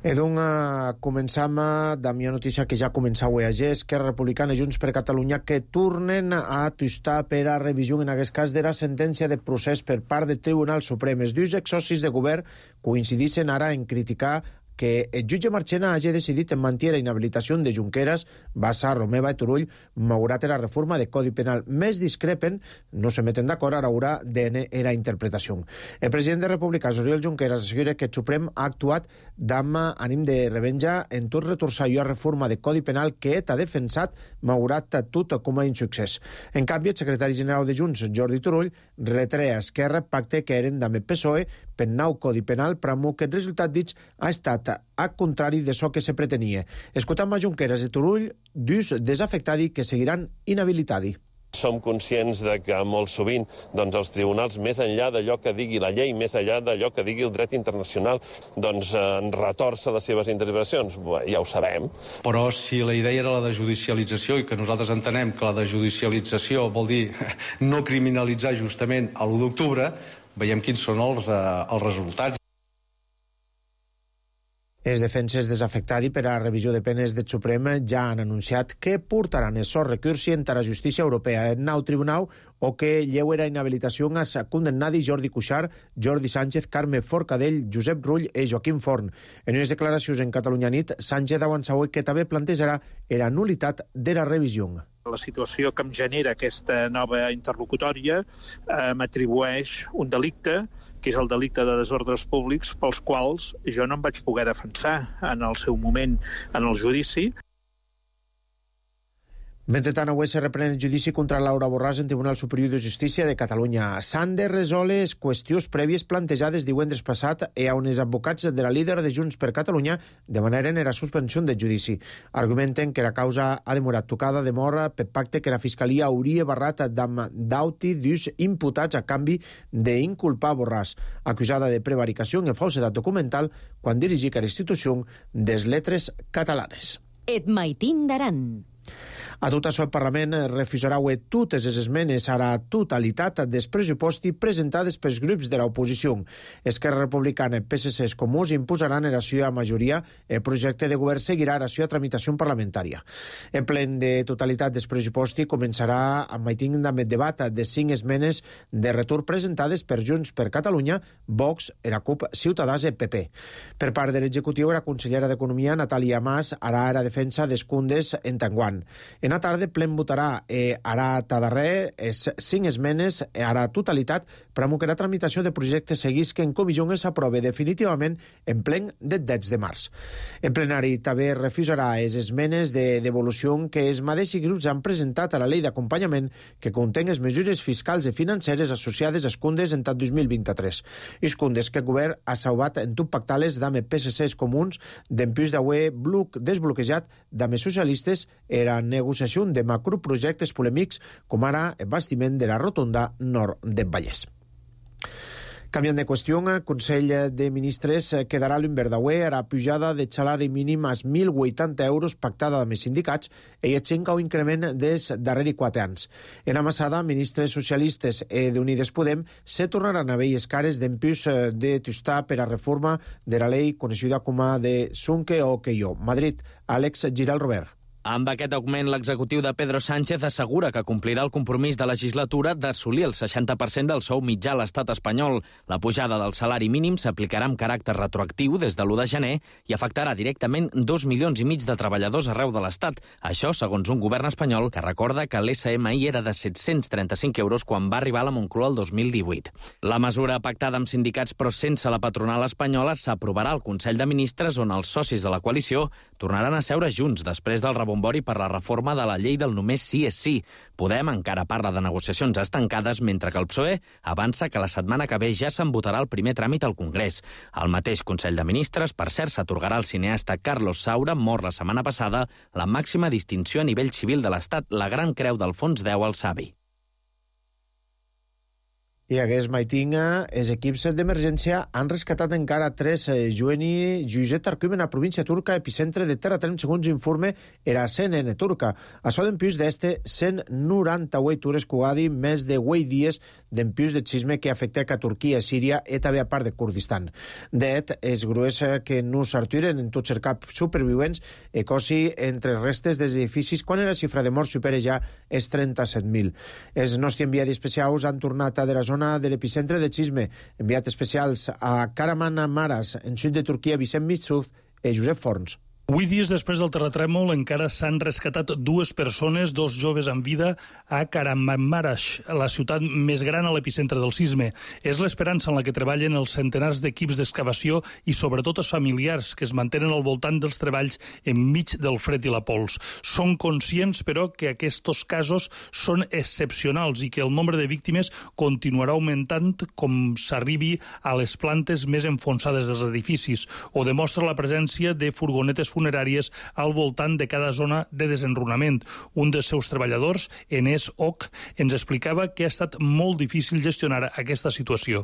Speaker 1: E doncs començam amb la notícia que ja començau a G, Esquerra Republicana i Junts per Catalunya, que tornen a atustar per a revisió, en aquest cas, de la sentència de procés per part del Tribunal Suprem. Els dos exsocis de govern coincideixen ara en criticar que el jutge Marchena hagi decidit en mantenir la inhabilitació de Junqueras, Bassa, Romeva i Turull, malgrat la reforma de Codi Penal. Més discrepen, no se meten d'acord, ara haurà d'en la interpretació. El president de República, Oriol Junqueras, assegura que el Suprem ha actuat d'am ànim de revenja en tot retorçar la reforma de Codi Penal que ha defensat, malgrat tot com a insuccés. En canvi, el secretari general de Junts, Jordi Turull, retre a Esquerra pacte que eren d'am el P S O E per nou Codi Penal, però que el resultat dits ha estat a contrari de so que se pretenia. Escoltam a Junqueras i Turull, dus desafectadi que seguiran inhabilitadi.
Speaker 19: Som conscients de que molt sovint doncs, els tribunals, més enllà d'allò que digui la llei, més enllà d'allò que digui el dret internacional, doncs eh, retorça les seves interpretacions. Bé, ja ho sabem.
Speaker 20: Però si la idea era la de judicialització i que nosaltres entenem que la de judicialització vol dir no criminalitzar justament l'u d'octubre, veiem quins són els, eh, els resultats.
Speaker 1: Els defenses desafectadi per a revisió de penes del Suprem ja han anunciat que portaran el so recursi en la justícia europea en nou tribunal o que lleuera inhabilitació a condemnadi Jordi Cuixart, Jordi Sánchez, Carme Forcadell, Josep Rull i Joaquim Forn. En unes declaracions en Catalunya Nit, Sánchez ha avançat que també plantejarà la nulitat de la revisió.
Speaker 21: La situació que em genera aquesta nova interlocutòria eh, m'atribueix un delicte, que és el delicte de desordres públics, pels quals jo no em vaig poder defensar en el seu moment en el judici.
Speaker 1: Mentrestant, avui se reprèn el judici contra Laura Borràs en Tribunal Superior de Justícia de Catalunya. S'han de resoldre les qüestions prèvies plantejades divendres passat i on els advocats de la líder de Junts per Catalunya demanaren la suspensió del judici. Argumenten que la causa ha demorat tocada de mort per pacte que la Fiscalia hauria barrat amb dauti d'ús imputats a canvi d'inculpar Borràs, acusada de prevaricació i falsedat documental quan dirigia la institució des Lletres Catalanes.
Speaker 2: Et maitin d'aran.
Speaker 1: A tot això, el Parlament refusarà totes les esmenes a la totalitat dels pressupostos presentades pels grups de l'oposició. Esquerra Republicana i P S C Comuns imposaran la seva majoria. El projecte de govern seguirà la seva tramitació parlamentària. El plen de totalitat dels pressupostos començarà amb el debat de cinc esmenes de retorn presentades per Junts per Catalunya, Vox, la CUP, Ciutadans i P P. Per part de l'executiu, la consellera d'Economia, Natàlia Mas, harà la defensa dels Cundes en Tanguant. En la tarda, plen votarà eh, ara tadarrer es cinc esmenes a la totalitat per a que la tramitació de projectes seguís que en comissió s'aprove definitivament en plen del deu de març. El plenari també refusarà les esmenes de devolució que els mateixos grups han presentat a la llei d'acompanyament que contén les mesures fiscals i financeres associades als Cundes en tot dos mil vint-i-tres. Els Cundes que el govern ha salvat en tot pactales d'ame P S C Comuns d'empús d'avui bloc desbloquejat d'ame socialistes era negociació de macroprojectes polèmics com ara el bastiment de la rotonda nord del Vallès. Canviant de qüestió, el Consell de Ministres quedarà l'Inverdaué a la pujada de salari mínim als mil vuitanta euros pactada amb els sindicats i aixenca un increment des darreri quatre anys. En amassada, ministres socialistes e d'Unides Podem se tornaran a velles cares d'empús de Tustà per a reforma de la llei coneixida com a de Sunque o Queió. Madrid, Àlex Giral Robert.
Speaker 4: Amb aquest augment, l'executiu de Pedro Sánchez assegura que complirà el compromís de legislatura d'assolir el seixanta per cent del sou mitjà a l'estat espanyol. La pujada del salari mínim s'aplicarà amb caràcter retroactiu des de l'u de gener i afectarà directament dos milions i mig de treballadors arreu de l'estat. Això, segons un govern espanyol que recorda que l'S M I era de set-cents trenta-cinc euros quan va arribar a la Moncloa el dos mil divuit. La mesura pactada amb sindicats però sense la patronal espanyola s'aprovarà al Consell de Ministres, on els socis de la coalició tornaran a seure junts després del rebombori per la reforma de la llei del només sí és sí. Podem encara parla de negociacions estancades, mentre que el P S O E avança que la setmana que ve ja se'n votarà el primer tràmit al Congrés. Al mateix Consell de Ministres, per cert, s'atorgarà al cineasta Carlos Saura, mort la setmana passada, la màxima distinció a nivell civil de l'Estat, la Gran Creu d'Alfons X al Savi.
Speaker 1: I hagués maitinga, els equips d'emergència han rescatat encara tres jueni Juzet Arquim en la província turca, epicentre de terratrem, segons informe era C N N turca. Açò d'empius d'este cent noranta-vuit hores cugadi, més de vuit dies d'empius de xisme que afecta a Turquia, Síria i també a part de Kurdistan. D'et, és grues que no s'arturen en tot cercar supervivents e cosi entre restes dels edificis quan la xifra de morts supera ja els trenta-set mil. Els nostres enviats especials han tornat a de la zona de l'epicentre de xisme, enviat especials a Kahramanmaraş, en sud de Turquia, Vicent Mitsuf i Josep Forns.
Speaker 22: Vuit dies després del terratrèmol encara s'han rescatat dues persones, dos joves amb vida, a Kahramanmaraş, la ciutat més gran a l'epicentre del sisme. És l'esperança en la que treballen els centenars d'equips d'excavació i sobretot els familiars que es mantenen al voltant dels treballs enmig del fred i la pols. Són conscients, però, que aquests casos són excepcionals i que el nombre de víctimes continuarà augmentant com s'arribi a les plantes més enfonsades dels edificis. Ho demostra la presència de furgonetes funeràries al voltant de cada zona de desenrunament. Un dels seus treballadors, Enes Ok, ens explicava que ha estat molt difícil gestionar aquesta situació.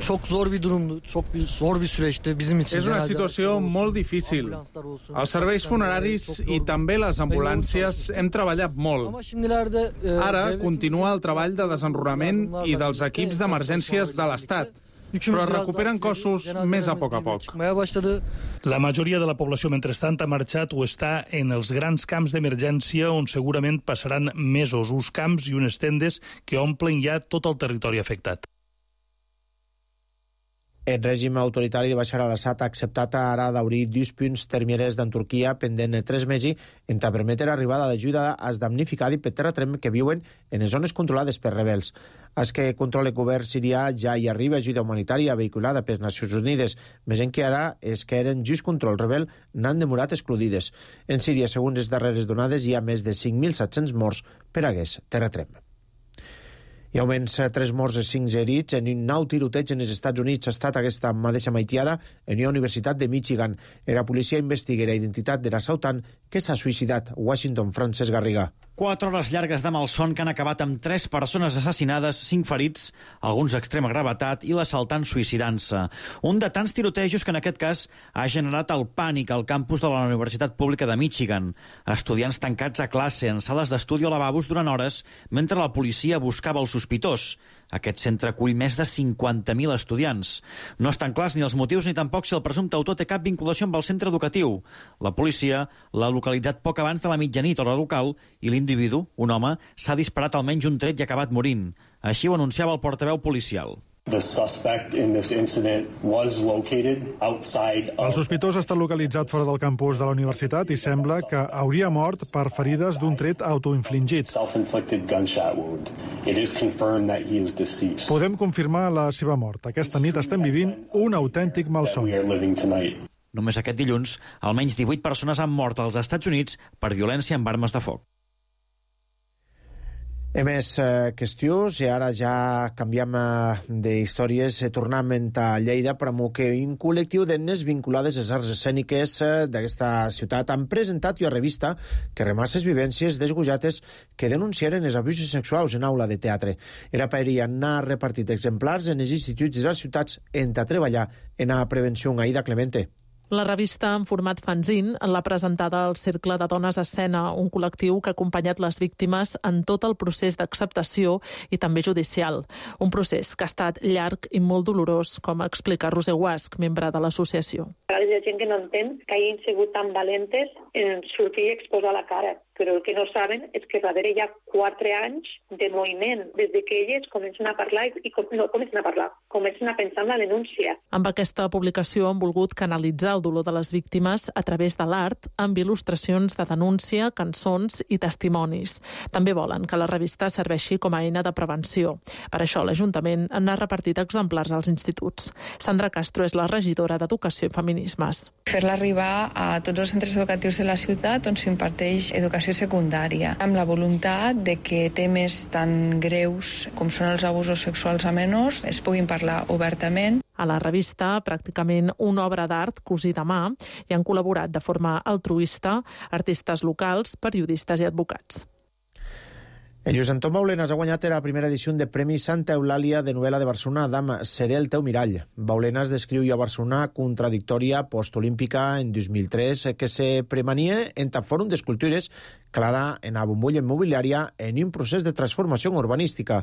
Speaker 23: Çok zor bir durumdu, çok bir zor bir süreçti bizim için.
Speaker 24: És una situació molt difícil. Els serveis funeraris i també les ambulàncies hem treballat molt. Ara continua el treball de desenrunament i dels equips d'emergències de l'Estat, però es recuperen cossos més a poc a poc.
Speaker 22: La majoria de la població, mentrestant, ha marxat o està en els grans camps d'emergència on segurament passaran mesos, uns camps i unes tendes que omplen ja tot el territori afectat.
Speaker 1: El règim autoritari de Bashar al-Assad ha acceptat ara d'obrir dos punts termiers d'en Turquia pendent tres mesos en ta permetre l'arribada d'ajuda als damnificats per terratrem que viuen en les zones controlades per rebels. Els que controla el govern sirià ja hi arriba ajuda humanitària vehiculada per Nacions Unides, més en que ara és que eren just control rebel n'han demorat excluïdes. En Síria, segons les darreres donades, hi ha més de cinc mil set-cents morts per aquest terratrem. I almenys tres morts i cinc herits en un nou tiroteig en els Estats Units ha estat aquesta mateixa maitiada en una universitat de Michigan. La policia investiga la identitat de l'assaltant que s'ha suïcidat. Washington, Francesc Garriga.
Speaker 25: Quatre hores llargues de malson que han acabat amb tres persones assassinades, cinc ferits, alguns d'extrema gravetat i l'assaltant suïcidant-se. Un de tants tirotejos que en aquest cas ha generat el pànic al campus de la Universitat Pública de Michigan. Estudiants tancats a classe, en sales d'estudi o lavabos durant hores, mentre la policia buscava el sospitós. Aquest centre acull més de cinquanta mil estudiants. No estan clars ni els motius ni tampoc si el presumpte autor té cap vinculació amb el centre educatiu. La policia l'ha localitzat poc abans de la mitjanit a l'hora local i l'individu, un home, s'ha disparat almenys un tret i ha acabat morint. Així ho anunciava el portaveu policial.
Speaker 26: The suspect in this incident was located outside of...
Speaker 27: El sospitós ha estat localitzat fora del campus de la universitat i sembla que hauria mort per ferides d'un tret autoinfligit.
Speaker 26: Self-inflicted gunshot wound. It is confirmed that he is deceased.
Speaker 27: Podem confirmar la seva mort. Aquesta nit estem vivint un autèntic malson.
Speaker 25: Només aquest dilluns, almenys divuit persones han mort als Estats Units per violència amb armes de foc.
Speaker 1: He més eh, qüestions i ara ja canviem eh, d'històries. Eh, tornem a Lleida per amb que un col·lectiu d'etnes vinculades a les arts escèniques eh, d'aquesta ciutat han presentat una revista que remassa les vivències desgojates que denunciaren els abusos sexuals en aula de teatre. Era per hi anar repartit exemplars en els instituts de les ciutats en a treballar en la prevenció. Aida Clemente.
Speaker 3: La revista, en format fanzine, l'ha presentada al Cercle de Dones a Escena, un col·lectiu que ha acompanyat les víctimes en tot el procés d'acceptació i també judicial. Un procés que ha estat llarg i molt dolorós, com explica Roser Guasc, membre de l'associació.
Speaker 7: Hi ha gent que no entén que hagin sigut tan valentes en sortir i exposar la cara, però el que no saben és que darrere hi ha quatre anys de moviment, des de que elles comencen a parlar i com, no comencen a parlar, comencen a pensar en la denúncia.
Speaker 3: Amb aquesta publicació han volgut canalitzar el dolor de les víctimes a través de l'art, amb il·lustracions de denúncia, cançons i testimonis. També volen que la revista serveixi com a eina de prevenció. Per això l'Ajuntament n'ha repartit exemplars als instituts. Sandra Castro és la regidora d'Educació i Feminismes.
Speaker 8: Fer-la arribar a tots els centres educatius de la ciutat on s'imparteix educació secundària, amb la voluntat de que temes tan greus com són els abusos sexuals a menors es puguin parlar obertament.
Speaker 3: A la revista, pràcticament una obra d'art cosida a mà, i han col·laborat de forma altruista artistes locals, periodistes i advocats.
Speaker 1: El Lluís Antón Baulenas ha guanyat la primera edició de Premi Santa Eulàlia de novel·la de Barcelona. Adam, seré el teu mirall. Baulenas descriu a Barcelona contradictòria postolímpica en dos mil tres que se premania en el Fòrum d'Escultures clara en la bombolla immobiliària en un procés de transformació urbanística.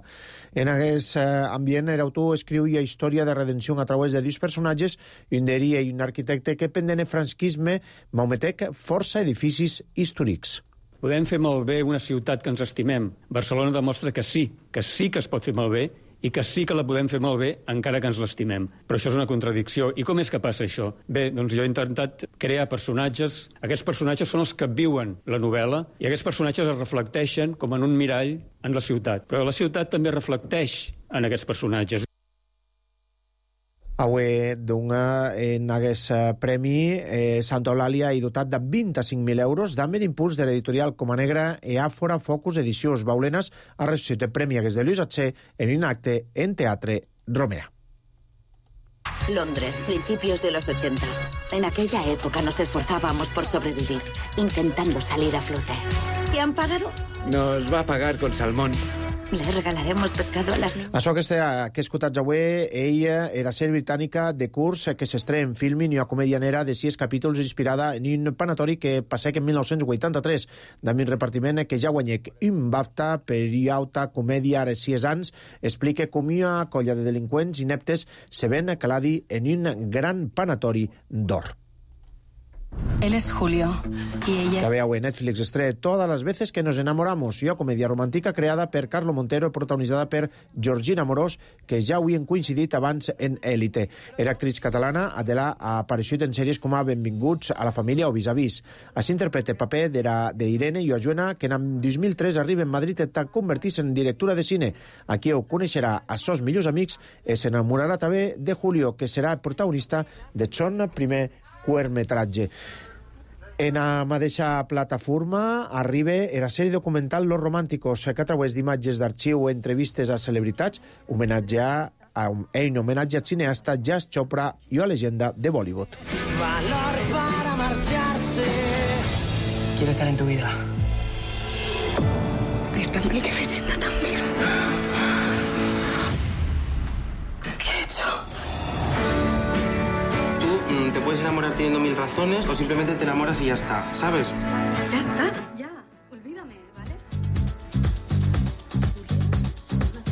Speaker 1: En aquest ambient, l'autor escriu la història de redenció a través de dos personatges, un deria i un arquitecte que pendent el franquisme maometec força edificis històrics.
Speaker 9: Podem fer malbé una ciutat que ens estimem. Barcelona demostra que sí, que sí que es pot fer malbé i que sí que la podem fer malbé encara que ens l'estimem. Però això és una contradicció. I com és que passa això? Bé, doncs jo he intentat crear personatges. Aquests personatges són els que viuen la novel·la i aquests personatges es reflecteixen com en un mirall en la ciutat. Però la ciutat també reflecteix en aquests personatges.
Speaker 1: Avui dona en aquest premi eh, Santa Eulàlia i dotat de vint-i-cinc mil euros d'amber impuls de l'editorial Coma Negra e Àfora Focus Edicions. Baulenas ha recibit el premi aquest de Lluís Atxer en un acte en Teatre Romea.
Speaker 10: Londres, principios de los ochenta. En aquella época nos esforzábamos por sobrevivir, intentando salir a flote. ¿Te han pagado?
Speaker 11: Nos va a pagar con salmón.
Speaker 10: Le regalaremos pescado a las niñas.
Speaker 1: Això que, està, que escoltats avui, ella era sèrie britànica de curs que s'estrena en filmin i una comèdia nera de sis capítols inspirada en un panatori que passec en mil nou-cents vuitanta-tres, amb un repartiment que ja guanyec un BAFTA per auta comèdia ara sis anys, explica com una colla de delinqüents ineptes se ven caladi en un gran panatori d'or.
Speaker 12: Él es Julio y ella es...
Speaker 1: Que veu, Netflix estrena Todas las veces que nos enamoramos, una comèdia romàntica creada per Carlo Montero i protagonitzada per Georgina Morós, que ja havien coincidit abans en Élite. Era actriz catalana, Adela ha aparegut en sèries com a Benvinguts a la família o Vis-a-Vis. Així interpreta el paper d'Irene Iojuena, que en dos mil tres arriba en Madrid a convertir-se en directora de cine. Aquí ho coneixerà a sos millors amics i s'enamorarà també de Julio, que serà el protagonista de son primer curtmetratge. En la mateixa plataforma arriba la sèrie documental Los Románticos, que a través d'imatges d'arxiu o entrevistes a celebritats homenatja a un, un homenatge al cineasta Yash Chopra i a la llegenda de Bollywood.
Speaker 28: Valor para marcharse.
Speaker 12: Quiero estar en tu vida.
Speaker 28: Pero tan mal que me sienta tan viva. ¿Qué he hecho?
Speaker 29: Te puedes enamorar teniendo mil razones o simplemente te enamoras y ya está, ¿sabes?
Speaker 28: Ya está, ya, olvídame, ¿vale?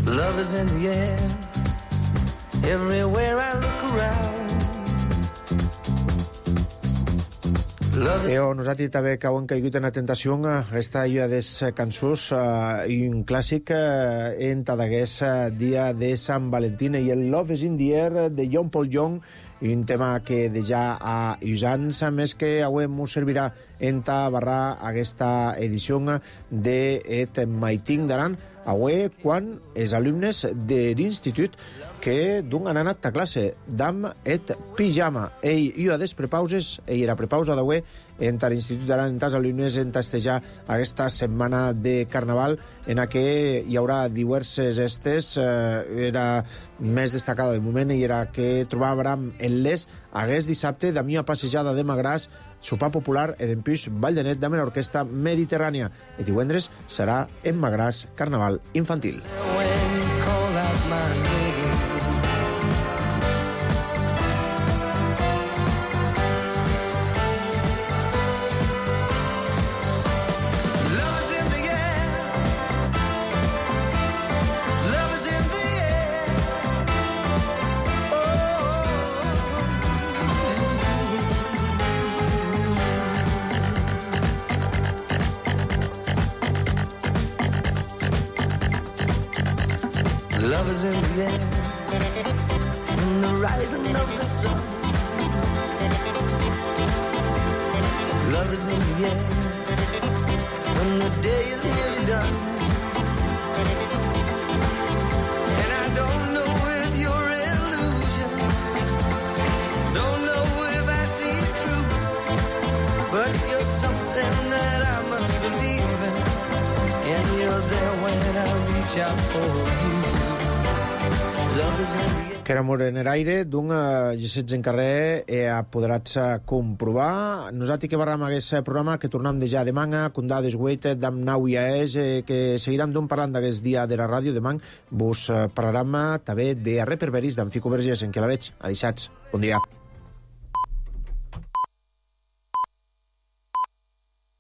Speaker 28: Love is in the air, everywhere I look around.
Speaker 1: Eo, nosaltres també que hem caigut en la tentació aquesta llua de cançons uh, i un clàssic uh, en tadagués uh, dia de Sant Valentín i el Love is in the Air de John Paul Young, un tema que de ja a uns anys, a més que avui ens servirà enta barrar aquesta edició de Et Maiting d'Aran, avui quan els alumnes de l'institut que d'un han anat a classe d'am et pijama. Ell i a des prepauses, ell era prepausa d'avui, entre l'Institut d'Aran, entre els alumnes, en tastejar aquesta setmana de Carnaval, en què hi haurà diverses estes. Eh, era més destacada de moment, i era que trobàvem en les hagués dissabte de mia passejada de Magràs, sopar popular e d'empús Vall de Net amb l'orquestra mediterrània. I divendres serà en Magràs Carnaval infantil.
Speaker 28: Love is in the air, in the rising of the sun. Love is in the air, when the day is nearly done. And I don't know if you're illusion, don't know if I see it true, but you're something that I must believe in, and you're there when I reach out for you.
Speaker 1: Que era mort en l'aire, d'un llicets en carrer e apoderats a comprovar. Nosaltres que barram aquest programa, que tornem de ja demà, com dades guaites, d'am nau i aes, que seguirem d'un parlant d'aquest dia de la ràdio. Demà vos parlarem també de reperberis d'en Fico Vergés, en què la veig. Adixats. Bon dia.